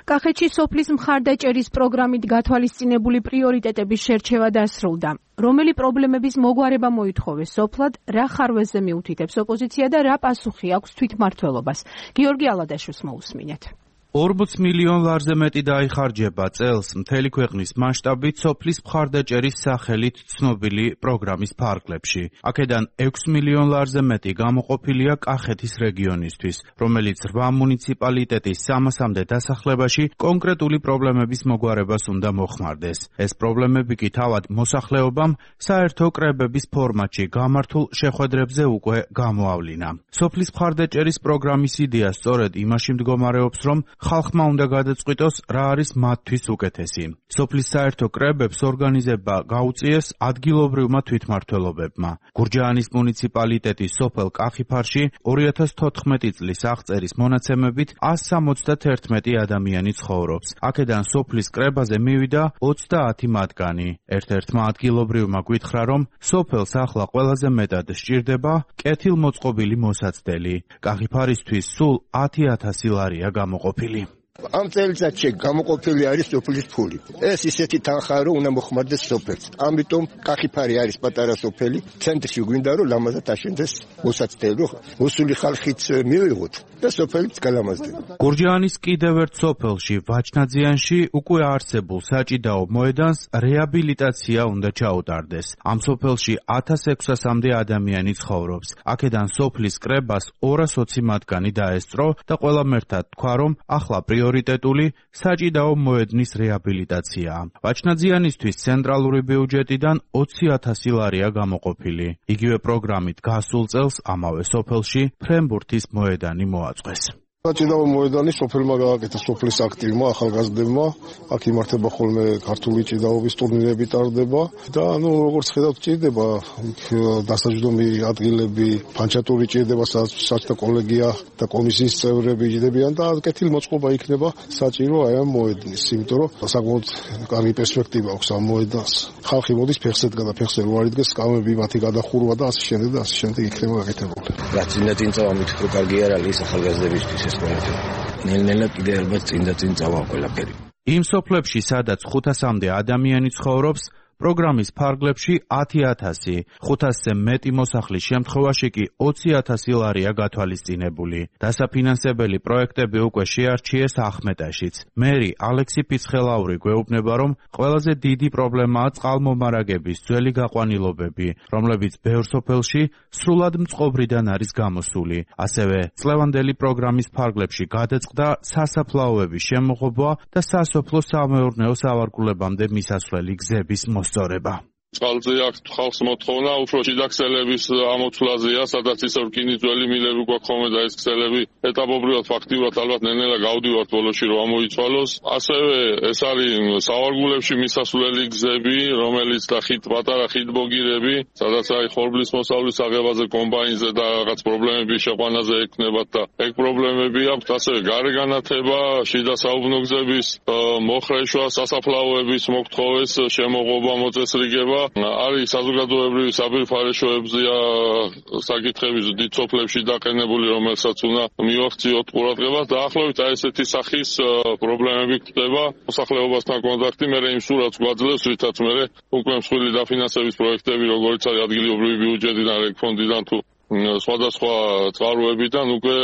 კახეთში სოფლის მხარდაჭერის პროგრამით გათვალისწინებული პრიორიტეტების შერჩევა დასრულდა. რომელი პრობლემების მოგვარება მოითხოვეს სოფლად, რა ხარვეზზე მიუთითებს ოპოზიცია და რა პასუხი აქვს თვითმმართველობას. გიორგი ალადაშვილს მოусმინეთ. ორმოც მილიონ ლარზე მეტი დაიხარჯება წელს მთელი ქვეყნის მასშტაბით სოფლის მხარდაჭერის სახელით ცნობილი პროგრამის ფარგლებში. აქედან ექვს მილიონ ლარზე მეტი გამოყოფილია კახეთის რეგიონისთვის, რომელიც რვა მუნიციპალიტეტის სამასამდე დასახლებაში კონკრეტული პრობლემების მოგვარებას უნდა მოხმარდეს. ეს პრობლემები კი თავად მოსახლეობამ საერთო კრებების ფორმატში გამართულ შეხვედრებზე უკვე გამოავლინა. სოფლის მხარდაჭერის პროგრამის იდეა სწორედ იმაში მდგომარეობს, რომ ხალხმა უნდა გადაწყვიტოს, რა არის მათთვის უკეთესი. სოფლის საერთო კრებებს ორგანიზება გაუწიეს ადგილობრივმა თვითმმართველობებმა. გურჯაანის მუნიციპალიტეტის სოფელ კახიფარში ორი ათას თოთხმეტი წლის აღწერის მონაცემებით εκατს სამოცდაერთმეტი ადამიანი ცხოვრობს. აქედან სოფლის კრებაზე მივიდა ოცდაათი მათგანი. ერთ-ერთმა ადგილობრივმა გვითხრა, რომ სოფელს ახლა ყველაზე მეტად სჭირდება კეთილმოწყობილი მოსაცდელი. კახიფარისთვის სულ ათი ათასი ლარია გამოყოფილი. ამ წელიწადში გამოყოფილი არის სოფლის ფული. ეს ისეთი თანხაა, რომ უნდა მოხმარდეს სოფელს. ამიტომ კახიფარი არის პატარა სოფელი, ცენტრში გვინდა რომ ლამაზად აშენდეს მოსაცდელი, მოსული ხალხიც მივიღოთ და სოფელიც გალამაზდება. გურჯაანის კიდევ ერთ სოფელში, ვაჩნაძიანში უკვე არსებულ საჭიდაო მოედანს რეაბილიტაცია უნდა ჩაუტარდეს. ამ სოფელში ათას ექვსასამდე ადამიანი ცხოვრობს. აქედან სოფლის კრებას ორას ოცი მათგანი დაესწრო და ყველამ ერთად თქვა, რომ ახლა პრიორიტეტული საჭიდაო მოედნის რეაბილიტაციაა. ვაჩნაძიანისთვის ცენტრალური ბიუჯეტიდან ოცი ათასი ლარია გამოყოფილი. იგივე პროგრამით გასულ წელს ამავე სოფელში ფრენბურთის მოედანი მოაწყვეს. საჭიდაო მოედანი სოფელმა გააკეთა სოფლის აქტივმა ახალგაზრდებმა. აქ იმართება ხოლმე ქართული ჭიდაობის ტურნირები ტარდება და ანუ როგორც ხედავთ ჭირდება დასაჯდომი ადგილები, ფანჩატური ჭირდება, საჭთა კოლეგია და კომისიის წევრები ჭირდებიან და კეთილმოწყობა იქნება საჭირო აი ამ მოედნის, იმიტომ რომ საკმაოდ კარგი პერსპექტივა აქვს ამ მოედანს. ხალხი მოდის ფეხსედგა და ფეხზე რო არ იდგეს, სკამები მათი გადახურვა და ასე შემდეგ და ასე შემდეგ იქნება გაკეთებული. რაც წინა წინ წავა მითხრა კარგი არ არის ახალგაზრდებისთვის. ნელ-ნელა კიდე ალბათ წინ და წინ წავა ყველაფერი. იმ სოფლებში, სადაც ხუთასამდე ადამიანი ცხოვრობს, პროგრამის ფარგლებში ათი ათასი, ხუთასზე მეტი მოსახლის შემთხვევაში კი ოცი ათასი ლარია გათვალისწინებული. დასაფინანსებელი პროექტები უკვე შეარჩიეს ახმეტაშიც. მერი ალექსი ფიცხელაური გვეუბნება, რომ ყველაზე დიდი პრობლემაა წყალმომარაგების ძველი გაყვანილობები, რომლებიც ბევრ სოფელში სრულად მწყობრიდან არის გამოსული. ასევე წლევანდელი პროგრამის ფარგლებში გადაწყდა სასაფლაოების შემოღობა და სასოფლო სამეურნეო სავარგულებამდე მისასვლელი გზების მოსწორება. წყალზე აქვს ხალხს მოთხოვნა უფრო შიდა ქსელების ამოცვლაზეა, სადაც ისევ რკინიძველი მილები გვაქვს ხოლმე და ეს ქსელები ეტაპობრივად ფაქტიურად ალბათ ნელ-ნელა გავდივართ ბოლოში რომ ამოიცვალოს. ასევე ეს არის სავარგულებში მისასვლელი გზები, რომელიც და ხით პატარა ხიდბოგირები, სადაც აი ხორბლის მოსავლის აღებაზე კომბაინზე და რაღაც პრობლემები შეყვანაზე ექნებათ და ეგ პრობლემები აქვს. ასევე გარეგანათება, შიდა საუბნო გზების მოხრეშვა, სასაფლაოების მოგთხოვეს შემოღობა, მოწესრიგება. არის საზოგადოებრივი საბირთვარეშოებზია საკითხების დიდ სოფლებში დაყენებული, რომელსაც უნდა მივახციოთ ყურადღებას. დაახლოებით აი ესეთი სახის პრობლემები ხდება. მოსახლეობასთან კონტაქტი, მე იმ სურათს გვაძლევს, რითაც მე უკვე მსხვილი დაფინანსების პროექტები, როგორც არის ადგილობრივი ბიუჯეტიდან, რეგფონდიდან თუ სხვადასხვა წყაროებიდან უკვე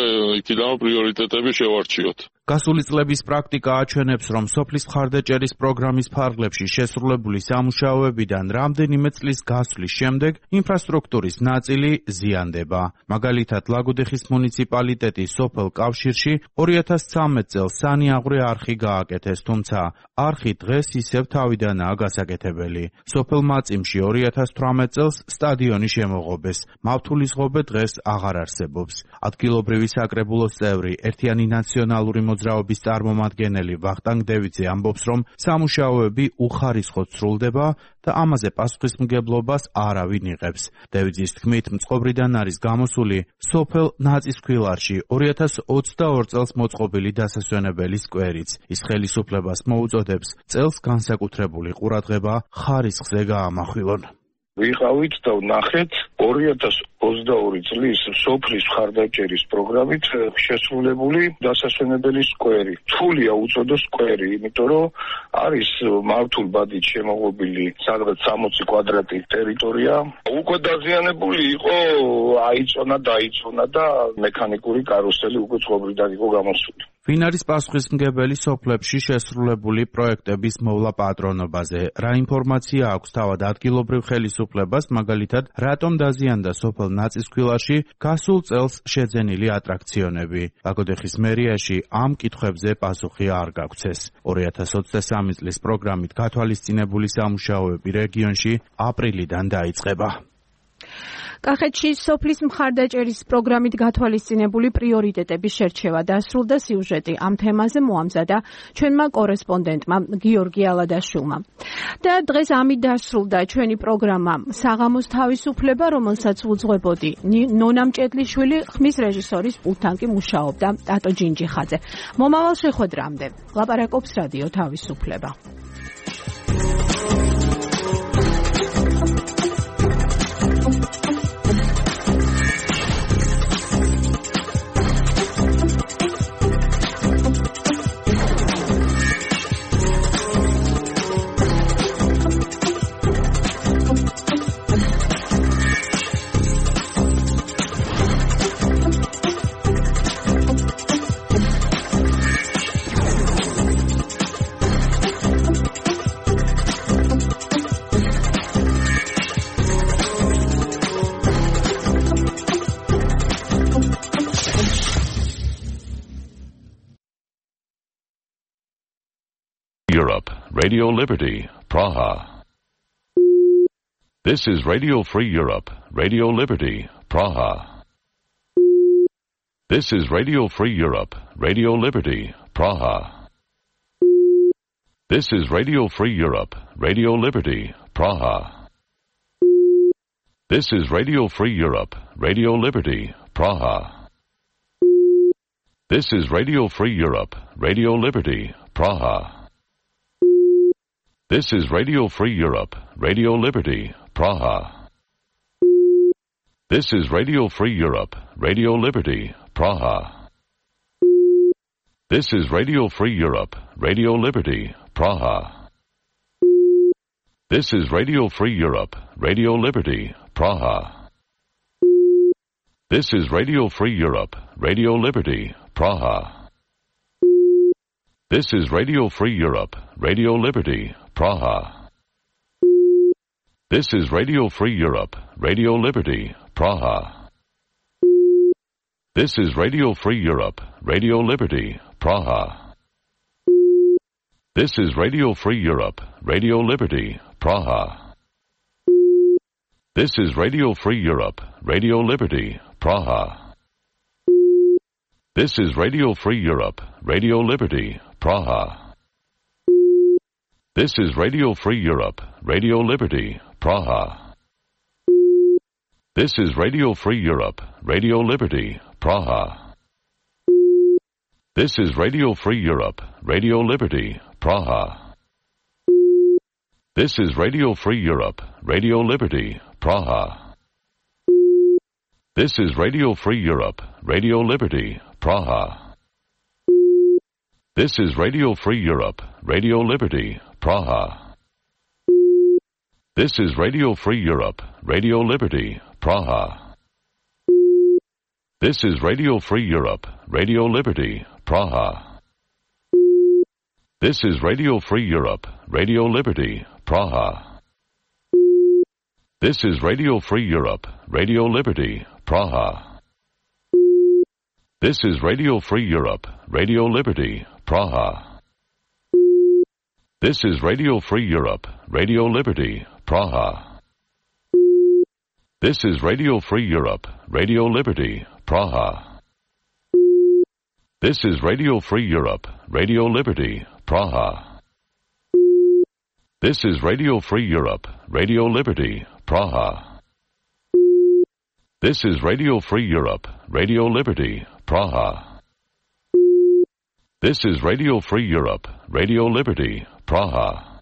იქიდან პრიორიტეტები შევარჩიოთ. გასული წლების პრაქტიკა აჩვენებს, რომ სოფლის მხარდაჭერის პროგრამის ფარგლებში შესრულებული სამუშაოებიდან რამდენიმე წლის გასვლის შემდეგ ინფრასტრუქტურის ნაწილი ზიანდება. მაგალითად, ლაგოდეხის მუნიციპალიტეტის სოფელ კავშირში ორი ათას ცხრამეტ წელს სანიაღვრე არხი გააკეთეს, თუმცა არხი დღეს ისევ თავიდანაა გასაკეთებელი. სოფელ მაწიმში ორი ათას თვრამეტ წელს სტადიონი შემოღობეს. მავთულის ღობე დღეს აღარ არსებობს. ადგილობრივი საკრებულოს წევრი, ერთიანი ნაციონალური მოძრაობის წარმომადგენელი ვახტანგ დევიძე ამბობს, რომ სამუშაოები უხარისხოდ სრულდება და ამაზე პასუხისმგებლობას არავინ იღებს. დევიძის თქმით, მწყობრიდან არის გამოსული სოფელ ნაწისქვილარში ორი ათას ოცდაორ წელს მოწყობილი დასასვენებელი სკვერიც. ის ხელისუფლებას მოუწოდებს წელს განსაკუთრებული ყურადღება ხარისხზე გაამახვილონ. ვიყავით და ვნახეთ ორი ათას ოცდაორი წლის სოფლის მხარდაჭერის პროგრამით შესრულებული დასასვენებელი სკვერი. რთულია უწოდოს სკვერი, იმიტომ რომ არის მავთულ ბადით შემოღობილი სადღაც სამოცი კვადრატი ტერიტორია. უკვე დაზიანებული იყო, აიწონა, დაიწონა და მექანიკური კარუსელი უკვე წყობრიდან იყო გამოსული. ვინ არის პასუხისმგებელი სოფლებში შესრულებული პროექტების მოვლა პატრონობაზე? რა ინფორმაცია აქვს თავად ადგილობრივ ხელისუფლებას, მაგალითად, რატომ დაზიანდა სოფელ ნაწისქვილარში გასულ წელს შეძენილი ატრაქციონები? ლაგოდეხის მერიაში ამ კითხვებზე პასუხი არ გაგცეს. ორი ათას ოცდასამი წლის პროგრამით გათვალისწინებული სამუშაოები რეგიონში აპრილიდან დაიწყება. კახეთში სოფლის მხარდაჭერის პროგრამით გათვალისწინებული პრიორიტეტების შერჩევა დასრულდა. სიუჟეტი ამ თემაზე მოამზადა ჩვენმა კორესპონდენტმა გიორგი ალადაშვილმა. და დღეს ამით დასრულდა ჩვენი პროგრამა საღამოს თავისუფლება, რომელსაც უძღვებოდი ნონა მჭედლიშვილი, ხმის რეჟისორის პულტთან კი მუშაობდა ტატო ჯინჯიხაძე. მომავალ შეხვედრამდე ლაპარაკობს რადიო თავისუფლება. Europe, Radio Liberty, Praha. This is Radio Free Europe, Radio Liberty, Praha. This is Radio Free Europe, Radio Liberty, Praha. This is Radio Free Europe, Radio Liberty, Praha. This is Radio Free Europe, Radio Liberty, Praha. This is Radio Free Europe, Radio Liberty, Praha. This is Radio Free Europe, Radio Liberty, Praha. This is Radio Free Europe, Radio Liberty, Praha. This is Radio Free Europe, Radio Liberty, Praha. This is Radio Free Europe, Radio Liberty, Praha. This is Radio Free Europe, Radio Liberty, Praha. This is Radio Free Europe, Radio Liberty, Praha. This is Radio Free Europe, Radio Liberty, Praha. This is Radio Free Europe, Radio Liberty, Praha. This is Radio Free Europe, Radio Liberty, Praha. This is Radio Free Europe, Radio Liberty, Praha. This is Radio Free Europe, Radio Liberty, Praha. This is Radio Free Europe, Radio Liberty, Praha. This is Radio Free Europe, Radio Liberty, Praha. This is Radio Free Europe, Radio Liberty, Praha. This is Radio Free Europe, Radio Liberty, Praha. This is Radio Free Europe, Radio Liberty, Praha. This is Radio Free Europe, Radio Liberty, Praha. This is Radio Free Europe, Radio Liberty, Praha. This is Radio Free Europe, Radio Liberty, Praha. This is Radio Free Europe, Radio Liberty, Praha. This is Radio Free Europe, Radio Liberty, Praha. This is Radio Free Europe, Radio Liberty, Praha. This is Radio Free Europe, Radio Liberty, Praha. This is Radio Free Europe, Radio Liberty, Praha. This is Radio Free Europe, Radio Liberty, Praha. This is Radio Free Europe, Radio Liberty, Praha. This is Radio Free Europe, Radio Liberty, Praha. This is Radio Free Europe, Radio Liberty, Praha.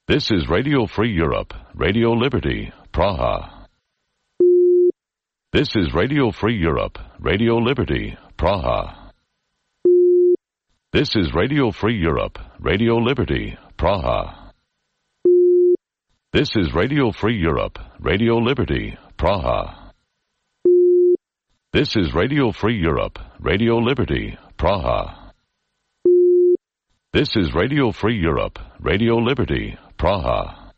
This is Radio Free Europe, Radio Liberty, Praha. This is Radio Free Europe, Radio Liberty, Praha. This is Radio Free Europe, Radio Liberty, Praha. This is Radio Free Europe, Radio Liberty, Praha. This is Radio Free Europe, Radio Liberty, Praha. This is Radio Free Europe, Radio Liberty, Praha.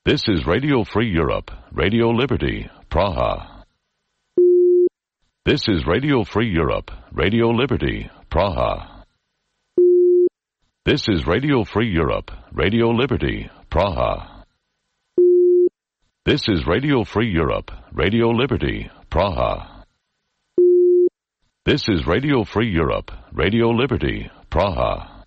This is Radio Free Europe, Radio Liberty, Praha. This is Radio Free Europe, Radio Liberty, Praha. This is Radio Free Europe, Radio Liberty, Praha. This is Radio Free Europe, Radio Liberty, Praha. This is Radio Free Europe, Radio Liberty, Praha.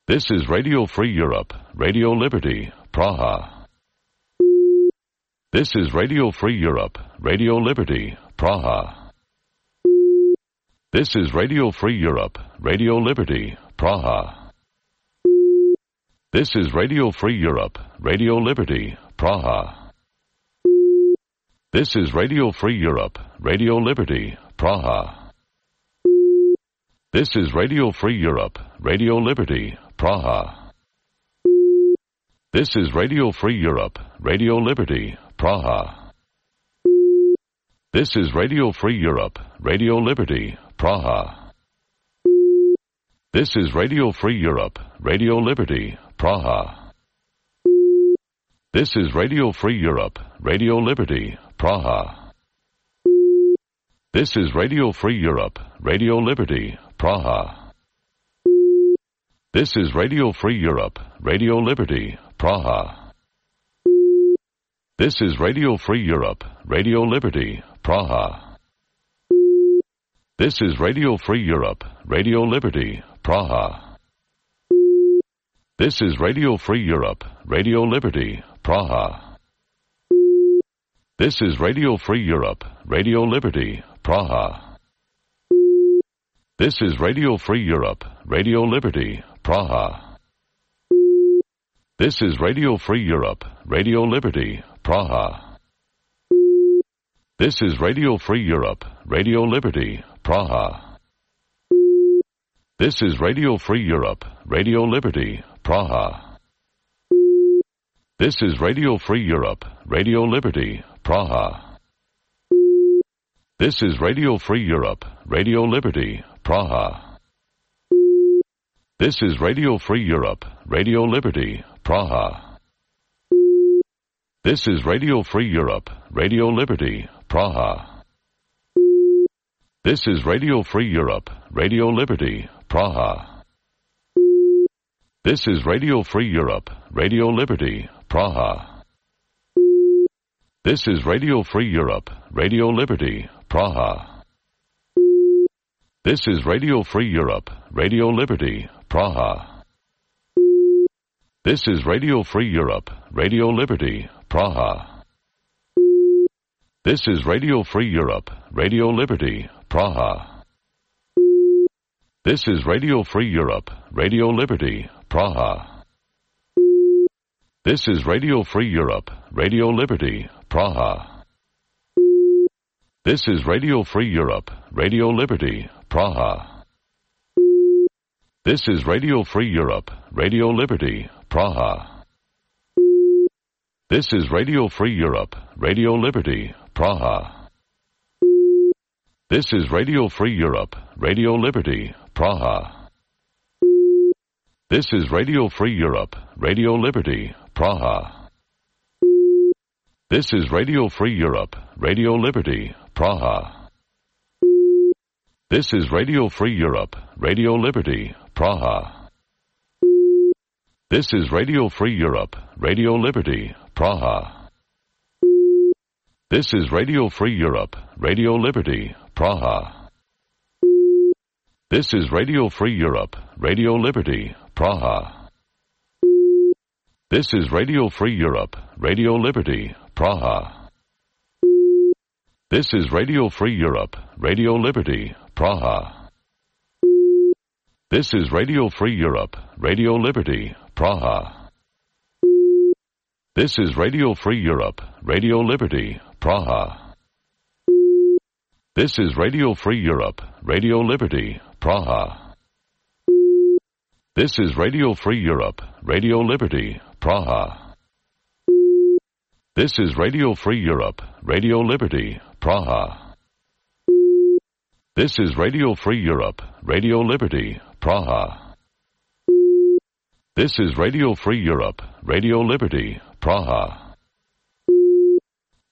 This is Radio Free Europe, Radio Liberty, Praha. This is Radio Free Europe, Radio Liberty, Praha. This is Radio Free Europe, Radio Liberty, Praha. This is Radio Free Europe, Radio Liberty, Praha. This is Radio Free Europe, Radio Liberty, Praha. This is Radio Free Europe, Radio Liberty, Praha. This is Radio Free Europe, Radio Liberty, Praha. This is Radio Free Europe, Radio Liberty, Praha. This is Radio Free Europe, Radio Liberty, Praha. This is Radio Free Europe, Radio Liberty, Praha. This is Radio Free Europe, Radio Liberty, Praha. This is Radio Free Europe, Radio Liberty, Praha. This is Radio Free Europe, Radio Liberty, Praha. This is Radio Free Europe, Radio Liberty, Praha. This is Radio Free Europe, Radio Liberty, Praha. This is Radio Free Europe, Radio Liberty, Praha. This is Radio Free Europe, Radio Liberty, Praha. This is Radio Free Europe, Radio Liberty, Praha. This is Radio Free Europe, Radio Liberty, Praha. This is Radio Free Europe, Radio Liberty, Praha. This is Radio Free Europe, Radio Liberty, Praha. This is Radio Free Europe, Radio Liberty, Praha. This is Radio Free Europe, Radio Liberty, Praha. This is Radio Free Europe, Radio Liberty, Praha. This is Radio Free Europe, Radio Liberty, Praha. This is Radio Free Europe, Radio Liberty, Praha. This is Radio Free Europe, Radio Liberty, Praha. This is Radio Free Europe, Radio Liberty, Praha. This is Radio Free Europe, Radio Liberty, Praha. This is Radio Free Europe, Radio Liberty, Praha. This is Radio Free Europe, Radio Liberty, Praha. This is Radio Free Europe, Radio Liberty, Praha. This is Radio Free Europe, Radio Liberty, Praha. This is Radio Free Europe, Radio Liberty, Praha. This is Radio Free Europe, Radio Liberty, Praha. This is Radio Free Europe, Radio Liberty, Praha. This is Radio Free Europe, Radio Liberty, Praha. This is Radio Free Europe, Radio Liberty, Praha. This is Radio Free Europe, Radio Liberty, Praha. This is Radio Free Europe, Radio Liberty, Praha. This is Radio Free Europe, Radio Liberty, Praha. This is Radio Free Europe, Radio Liberty, Praha. This is Radio Free Europe, Radio Liberty, Praha. This is Radio Free Europe, Radio Liberty, Praha. This is Radio Free Europe, Radio Liberty, Praha. This is Radio Free Europe, Radio Liberty, Praha. This is Radio Free Europe, Radio Liberty, Praha. This is Radio Free Europe, Radio Liberty, Praha. This is Radio Free Europe, Radio Liberty, Praha. This is Radio Free Europe, Radio Liberty, Praha. This is Radio Free Europe, Radio Liberty, Praha.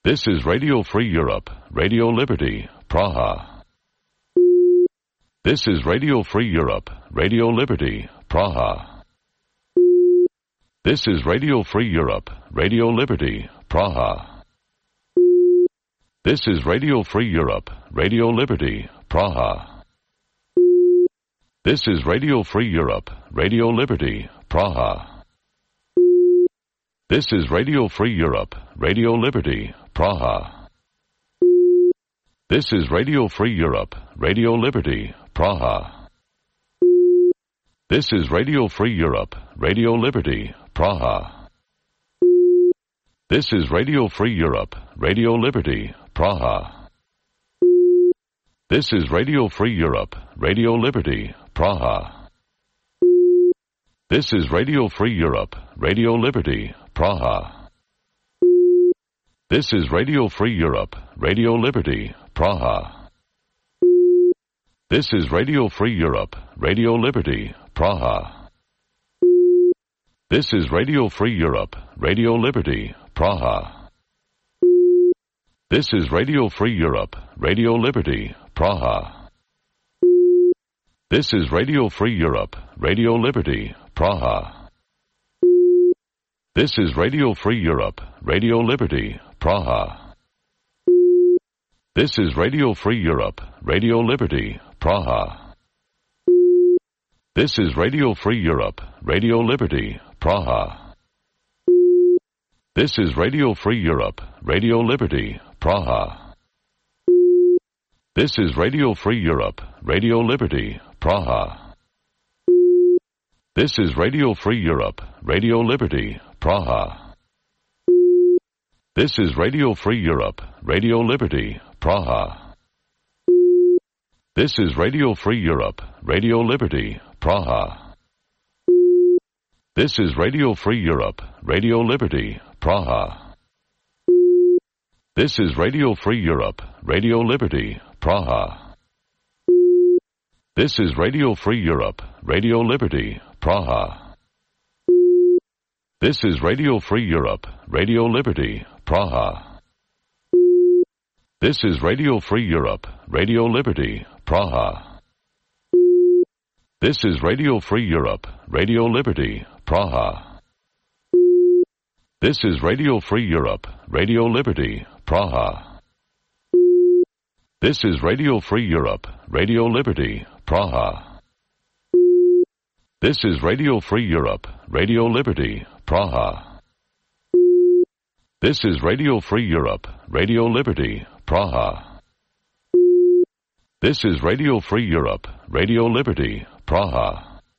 This is Radio Free Europe, Radio Liberty, Praha. This is Radio Free Europe, Radio Liberty, Praha. This is Radio Free Europe, Radio Liberty, Praha. This is Radio Free Europe, Radio Liberty, Praha. This is Radio Free Europe, Radio Liberty, Praha. This is Radio Free Europe, Radio Liberty, Praha. This is Radio Free Europe, Radio Liberty, Praha. This is Radio Free Europe, Radio Liberty, Praha. This is Radio Free Europe, Radio Liberty, Praha. This is Radio Free Europe, Radio Liberty, Praha. This is Radio Free Europe, Radio Liberty, Praha. This is Radio Free Europe, Radio Liberty, Praha. This is Radio Free Europe, Radio Liberty, Praha. This is Radio Free Europe, Radio Liberty, Praha. This is Radio Free Europe, Radio Liberty, Praha. This is Radio Free Europe, Radio Liberty, Praha. This is Radio Free Europe, Radio Liberty, Praha. This is Radio Free Europe, Radio Liberty, Praha. This is Radio Free Europe, Radio Liberty, Praha. This is Radio Free Europe, Radio Liberty, Praha. This is Radio Free Europe, Radio Liberty, Praha. This is Radio Free Europe, Radio Liberty, Praha. This is Radio Free Europe, Radio Liberty, Praha. This is Radio Free Europe, Radio Liberty, Praha. This is Radio Free Europe, Radio Liberty, Praha. This is Radio Free Europe, Radio Liberty, Praha. This is Radio Free Europe, Radio Liberty, Praha. This is Radio Free Europe, Radio Liberty, Praha. This is Radio Free Europe, Radio Liberty, Praha. This is Radio Free Europe, Radio Liberty, Praha. This is Radio Free Europe, Radio Liberty, Praha. This is Radio Free Europe, Radio Liberty, Praha. This is Radio Free Europe, Radio Liberty, Praha. This is Radio Free Europe, Radio Liberty, Praha. This is Radio Free Europe, Radio Liberty, Praha.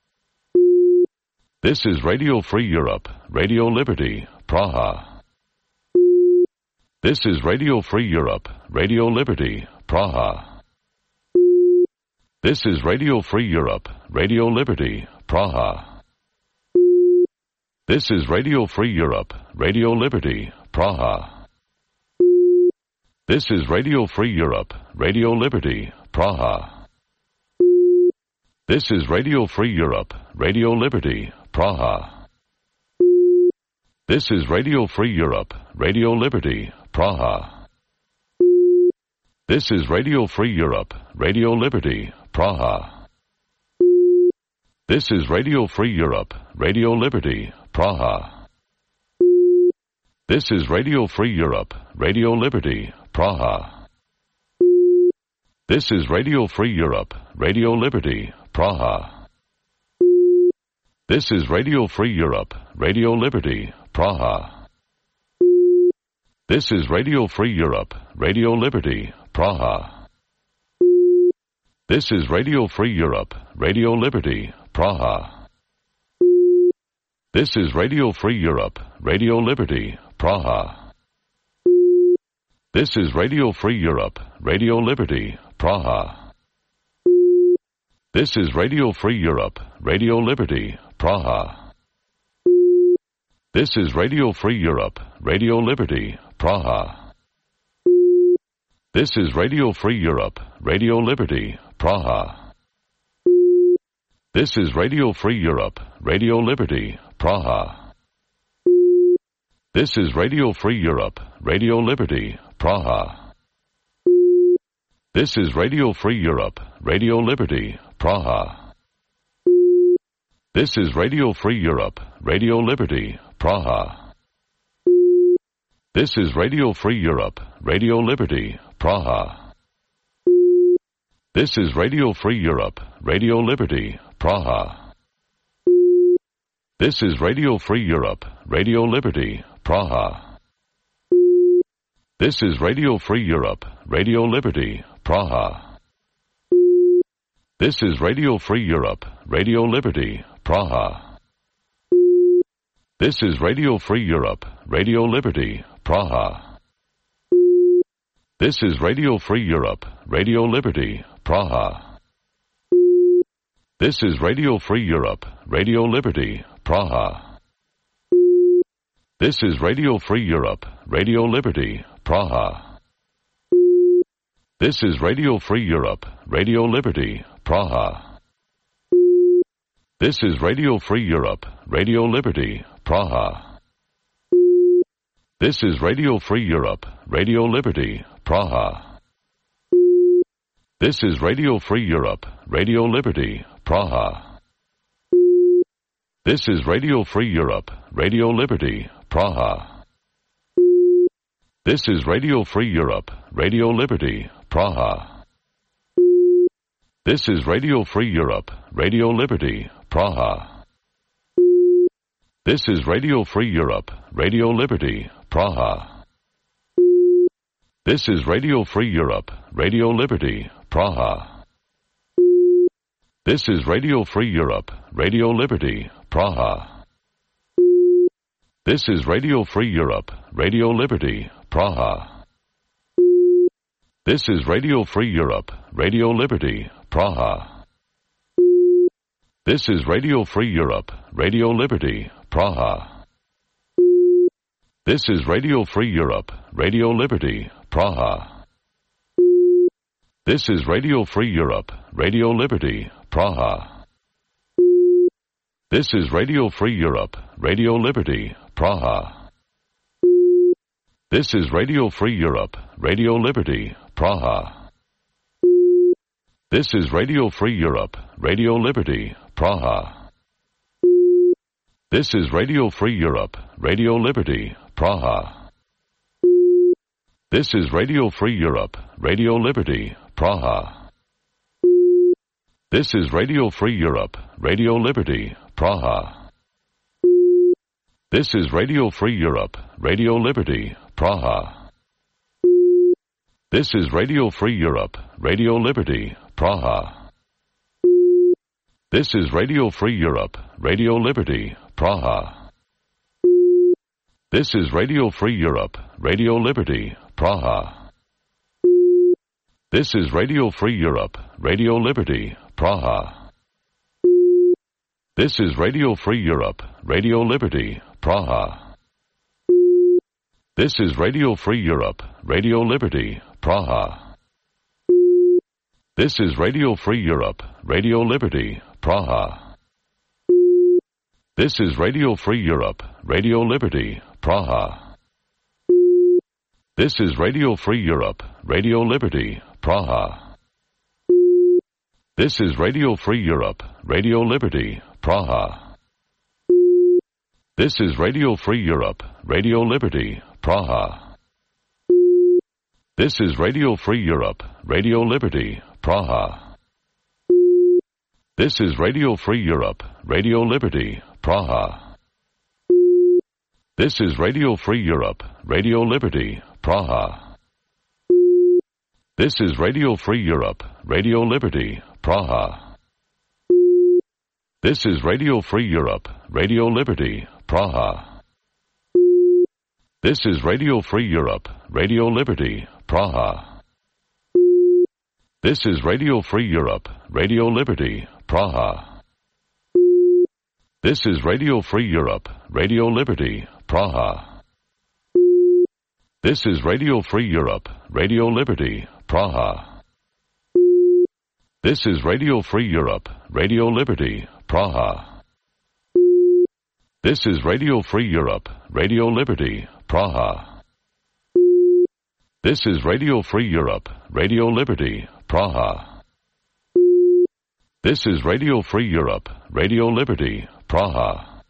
This is Radio Free Europe, Radio Liberty, Praha. This is Radio Free Europe, Radio Liberty, Praha. This is Radio Free Europe, Radio Liberty, Praha. This is Radio Free Europe, Radio Liberty, Praha. This is Radio Free Europe, Radio Liberty, Praha. This is Radio Free Europe, Radio Liberty, Praha. This is Radio Free Europe, Radio Liberty, Praha. This is Radio Free Europe, Radio Liberty, Praha. This is Radio Free Europe, Radio Liberty, Praha. This is Radio Free Europe, Radio Liberty, Praha. This is Radio Free Europe, Radio Liberty, Praha. This is Radio Free Europe, Radio Liberty, Praha. This is Radio Free Europe, Radio Liberty, Praha. This is Radio Free Europe, Radio Liberty, Praha. This is Radio Free Europe, Radio Liberty, Praha. This is Radio Free Europe, Radio Liberty, Praha. This is Radio Free Europe, Radio Liberty, Praha. This is Radio Free Europe, Radio Liberty, Praha. This is Radio Free Europe, Radio Liberty, Praha. This is Radio Free Europe, Radio Liberty, Praha. This is Radio Free Europe, Radio Liberty, Praha. This is Radio Free Europe, Radio Liberty, Praha. This is Radio Free Europe, Radio Liberty, Praha. This is Radio Free Europe, Radio Liberty, Praha. This is Radio Free Europe, Radio Liberty, Praha. This is Radio Free Europe, Radio Liberty, Praha. This is Radio Free Europe, Radio Liberty, Praha. This is Radio Free Europe, Radio Liberty, Praha. This is Radio Free Europe, Radio Liberty, Praha. This is Radio Free Europe, Radio Liberty, Praha. This is Radio Free Europe, Radio Liberty, Praha. This is Radio Free Europe, Radio Liberty, Praha. This is Radio Free Europe, Radio Liberty, Praha. This is Radio Free Europe, Radio Liberty, Praha. This is Radio Free Europe, Radio Liberty, Praha. This is Radio Free Europe, Radio Liberty, Praha. This is Radio Free Europe, Radio Liberty, Praha. This is Radio Free Europe, Radio Liberty, Praha. This is Radio Free Europe, Radio Liberty, Praha. This is Radio Free Europe, Radio Liberty, Praha. This is Radio Free Europe, Radio Liberty, Praha. This is Radio Free Europe, Radio Liberty, Praha. This is Radio Free Europe, Radio Liberty, Praha. This is Radio Free Europe, Radio Liberty, Praha. This is Radio Free Europe, Radio Liberty, Praha. This is Radio Free Europe, Radio Liberty, Praha. This is Radio Free Europe, Radio Liberty, Praha. This is Radio Free Europe, Radio Liberty, Praha. This is Radio Free Europe, Radio Liberty, Praha. This is Radio Free Europe, Radio Liberty, Praha. This is Radio Free Europe, Radio Liberty, Praha. This is Radio Free Europe, Radio Liberty, Praha. This is Radio Free Europe, Radio Liberty, Praha. This is Radio Free Europe, Radio Liberty, Praha. This is Radio Free Europe, Radio Liberty, Praha. This is Radio Free Europe, Radio Liberty, Praha. This is Radio Free Europe, Radio Liberty, Praha. This is Radio Free Europe, Radio Liberty, Praha. This is Radio Free Europe, Radio Liberty, Praha. This is Radio Free Europe, Radio Liberty, Praha. This is Radio Free Europe, Radio Liberty, Praha. This is Radio Free Europe, Radio Liberty, Praha. This is Radio Free Europe, Radio Liberty, Praha. This is Radio Free Europe, Radio Liberty, Praha. This is Radio Free Europe, Radio Liberty, Praha. This is Radio Free Europe, Radio Liberty, Praha. This is Radio Free Europe, Radio Liberty, Praha. This is Radio Free Europe, Radio Liberty, Praha. This is Radio Free Europe, Radio Liberty, Praha. This is Radio Free Europe, Radio Liberty, Praha. This is Radio Free Europe, Radio Liberty, Praha. This is Radio Free Europe, Radio Liberty, Praha. This is Radio Free Europe, Radio Liberty, Praha. This is Radio Free Europe, Radio Liberty, Praha. This is Radio Free Europe, Radio Liberty, Praha. This is Radio Free Europe, Radio Liberty, Praha. This is Radio Free Europe, Radio Liberty, Praha. This is Radio Free Europe, Radio Liberty, Praha.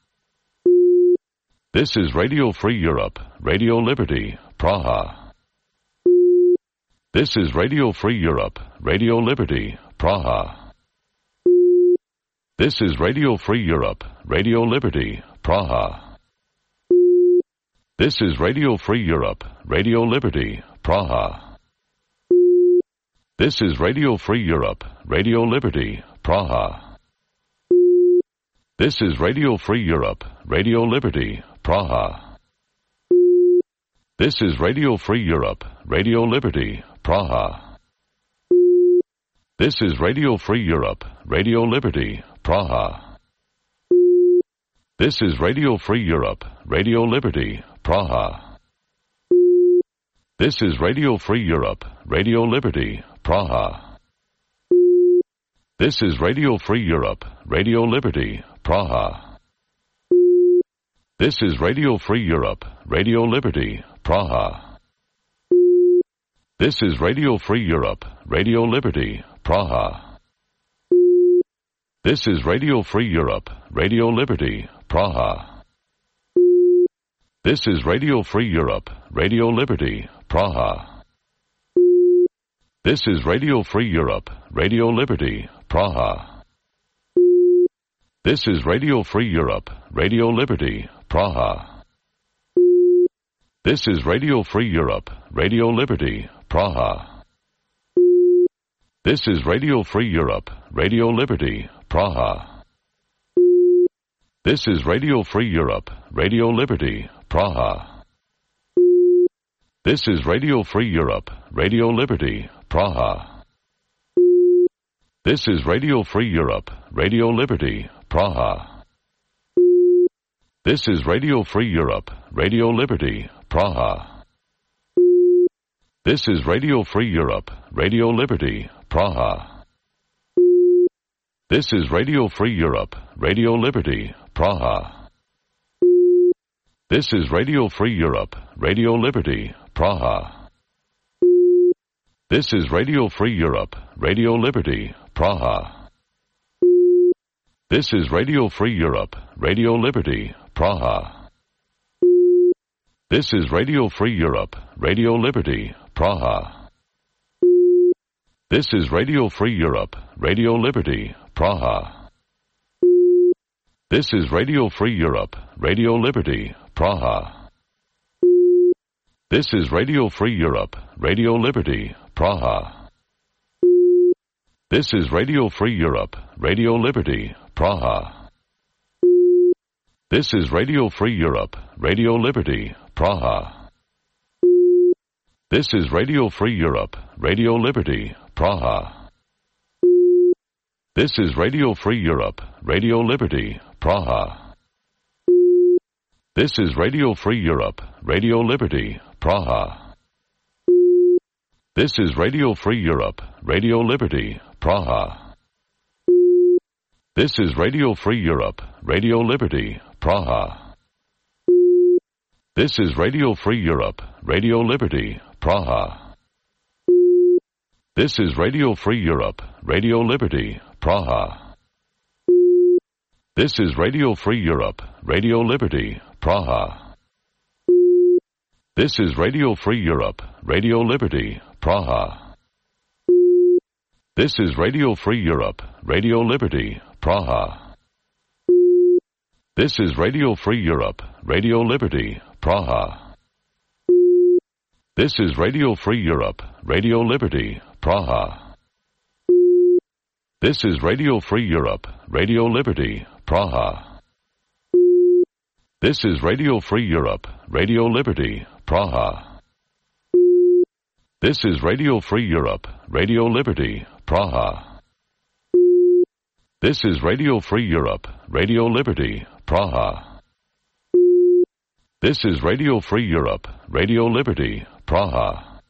This is Radio Free Europe, Radio Liberty, Praha. This is Radio Free Europe, Radio Liberty, Praha. This is Radio Free Europe, Radio Liberty, Praha. This is Radio Free Europe, Radio Liberty, Praha. This is Radio Free Europe, Radio Liberty, Praha. This is Radio Free Europe, Radio Liberty, Praha. This is Radio Free Europe, Radio Liberty, Praha. This is Radio Free Europe, Radio Liberty, Praha. This is Radio Free Europe, Radio Liberty, Praha. This is Radio Free Europe, Radio Liberty, Praha. This is Radio Free Europe, Radio Liberty, Praha. This is Radio Free Europe, Radio Liberty, Praha. This is Radio Free Europe, Radio Liberty, Praha. This is Radio Free Europe, Radio Liberty, Praha. This is Radio Free Europe, Radio Liberty, Praha. This is Radio Free Europe, Radio Liberty, Praha. This is Radio Free Europe, Radio Liberty, Praha. This is Radio Free Europe, Radio Liberty, Praha. This is Radio Free Europe, Radio Liberty, Praha. This is Radio Free Europe, Radio Liberty, Praha. This is Radio Free Europe, Radio Liberty, Praha. This is Radio Free Europe, Radio Liberty, Praha. This is Radio Free Europe, Radio Liberty, Praha. This is Radio Free Europe, Radio Liberty, Praha. This is Radio Free Europe, Radio Liberty, Praha. This is Radio Free Europe, Radio Liberty, Praha. This is Radio Free Europe, Radio Liberty, Praha. This is Radio Free Europe, Radio Liberty, Praha. This is Radio Free Europe, Radio Liberty, Praha. This is Radio Free Europe, Radio Liberty, Praha. This is Radio Free Europe, Radio Liberty, Praha. This is Radio Free Europe, Radio Liberty, Praha. This is Radio Free Europe, Radio Liberty, Praha. This is Radio Free Europe, Radio Liberty, Praha. This is Radio Free Europe, Radio Liberty, Praha. This is Radio Free Europe, Radio Liberty, Praha. This is Radio Free Europe, Radio Liberty, Praha. This is Radio Free Europe, Radio Liberty, Praha. This is Radio Free Europe, Radio Liberty, Praha. This is Radio Free Europe, Radio Liberty, Praha. This is Radio Free Europe, Radio Liberty, Praha. This is Radio Free Europe, Radio Liberty, Praha. This is Radio Free Europe, Radio Liberty, Praha. This is Radio Free Europe, Radio Liberty, Praha. This is Radio Free Europe, Radio Liberty, Praha. This is Radio Free Europe, Radio Liberty, Praha. This is Radio Free Europe, Radio Liberty, Praha. This is Radio Free Europe, Radio Liberty, Praha. This is Radio Free Europe, Radio Liberty, Praha. This is Radio Free Europe, Radio Liberty, Praha. This is Radio Free Europe, Radio Liberty, Praha.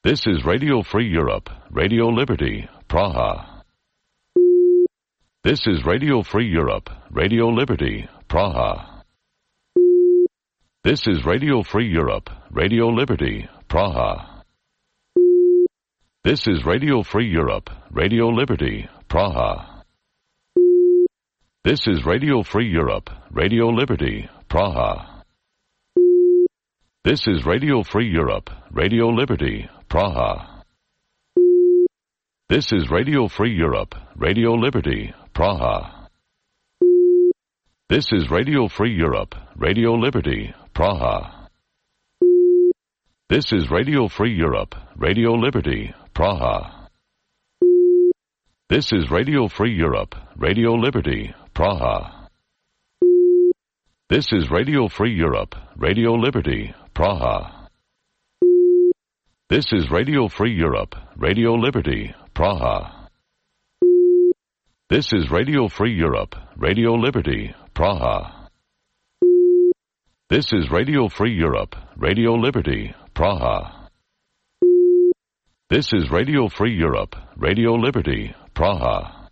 This is Radio Free Europe, Radio Liberty, Praha. This is Radio Free Europe, Radio Liberty, Praha. This is Radio Free Europe, Radio Liberty, Praha. This is Radio Free Europe, Radio Liberty, Praha. This is Radio Free Europe, Radio Liberty, Praha. This is Radio Free Europe, Radio Liberty, Praha. This is Radio Free Europe, Radio Liberty, Praha. This is Radio Free Europe, Radio Liberty, Praha. This is Radio Free Europe, Radio Liberty, Praha. This is Radio Free Europe, Radio Liberty, Praha. This is Radio Free Europe, Radio Liberty, Praha. This is Radio Free Europe, Radio Liberty, Praha. This is Radio Free Europe, Radio Liberty, Praha. This is Radio Free Europe, Radio Liberty, Praha. This is Radio Free Europe, Radio Liberty, Praha.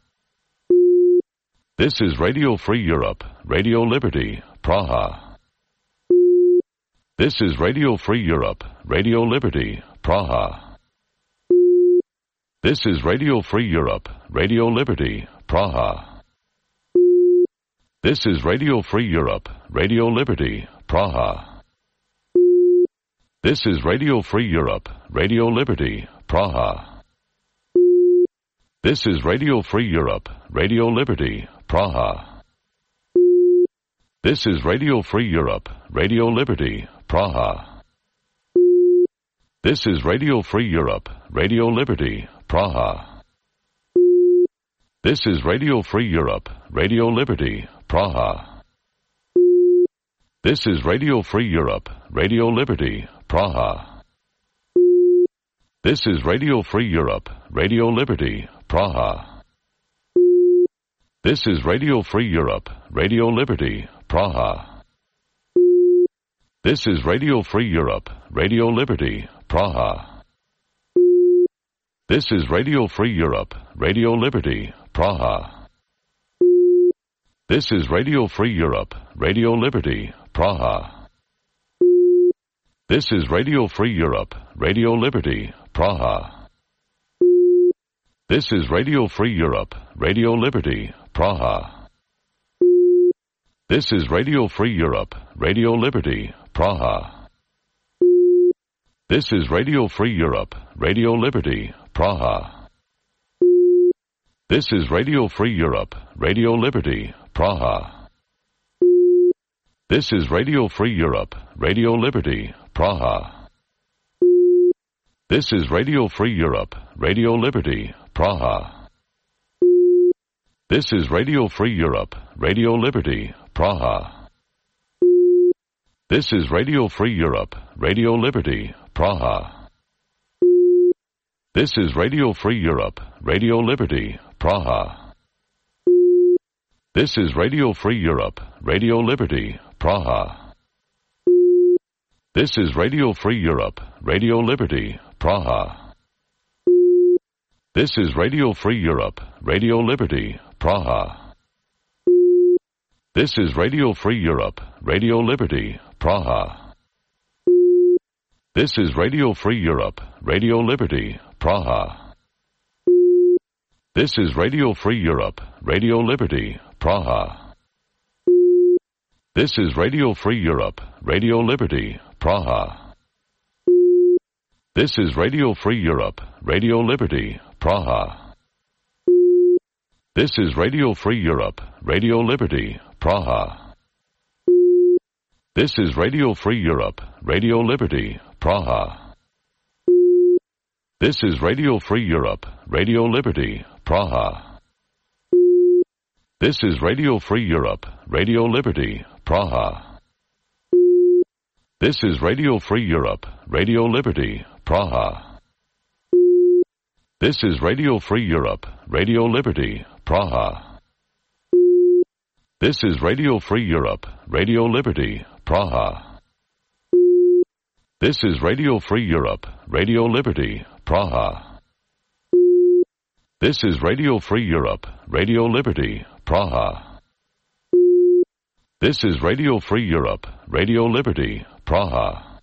This is Radio Free Europe, Radio Liberty, Praha. This is Radio Free Europe, Radio Liberty, Praha. This is Radio Free Europe, Radio Liberty, Praha. This is Radio Free Europe, Radio Liberty, Praha. This is Radio Free Europe, Radio Liberty, Praha. This is Radio Free Europe, Radio Liberty, Praha. This is Radio Free Europe, Radio Liberty, Praha. This is Radio Free Europe, Radio Liberty, Praha. This is Radio Free Europe, Radio Liberty, Praha. This is Radio Free Europe, Radio Liberty, Praha. This is Radio Free Europe, Radio Liberty, Praha. This is Radio Free Europe, Radio Liberty, Praha. This is Radio Free Europe, Radio Liberty, Praha. This is Radio Free Europe, Radio Liberty, Praha. This is Radio Free Europe, Radio Liberty, Praha. This is Radio Free Europe, Radio Liberty, Praha. This is Radio Free Europe, Radio Liberty, Praha. This is Radio Free Europe, Radio Liberty, Praha. This is Radio Free Europe, Radio Liberty, Praha. This is Radio Free Europe, Radio Liberty, Praha. This is Radio Free Europe, Radio Liberty, Praha. This is Radio Free Europe, Radio Liberty, Praha. This is Radio Free Europe, Radio Liberty, Praha. This is Radio Free Europe, Radio Liberty, Praha. This is Radio Free Europe, Radio Liberty, Praha. This is Radio Free Europe, Radio Liberty, Praha. This is Radio Free Europe, Radio Liberty, Praha. This is Radio Free Europe, Radio Liberty, Praha. This is Radio Free Europe, Radio Liberty, Praha. This is Radio Free Europe, Radio Liberty, Praha. This is Radio Free Europe, Radio Liberty, Praha. This is Radio Free Europe, Radio Liberty, Praha. This is Radio Free Europe, Radio Liberty, Praha. This is Radio Free Europe, Radio Liberty, Praha. This is Radio Free Europe, Radio Liberty, Praha. This is Radio Free Europe, Radio Liberty, Praha. This is Radio Free Europe, Radio Liberty, Praha. This is Radio Free Europe, Radio Liberty, Praha. This is Radio Free Europe, Radio Liberty, Praha. This is Radio Free Europe, Radio Liberty, Praha. This is Radio Free Europe, Radio Liberty, Praha. This is Radio Free Europe, Radio Liberty, Praha. This is Radio Free Europe, Radio Liberty, Praha.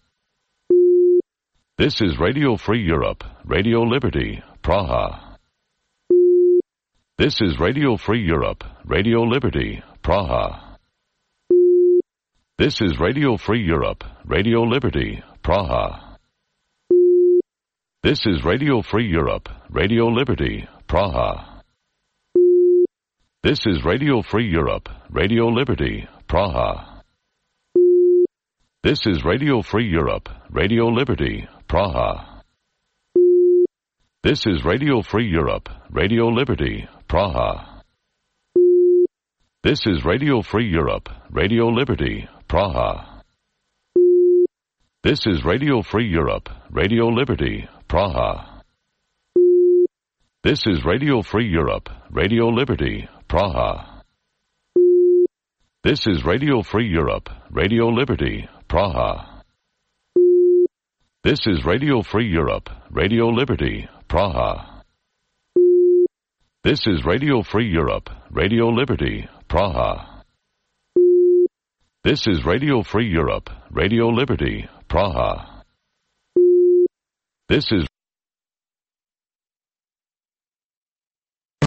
This is Radio Free Europe, Radio Liberty, Praha. This is Radio Free Europe, Radio Liberty, Praha. This is Radio Free Europe, Radio Liberty, Praha. This is Radio Free Europe, Radio Liberty, Praha. This is Radio Free Europe, Radio Liberty, Praha. This is Radio Free Europe, Radio Liberty, Praha. This is Radio Free Europe, Radio Liberty, Praha. This is Radio Free Europe, Radio Liberty, Praha. This is Radio Free Europe, Radio Liberty, Praha. This is Radio Free Europe, Radio Liberty, Praha. This is Radio Free Europe, Radio Liberty, Praha. This is Radio Free Europe, Radio Liberty, Praha. This is Radio Free Europe, Radio Liberty, Praha. This is Radio Free Europe, Radio Liberty, Praha. This is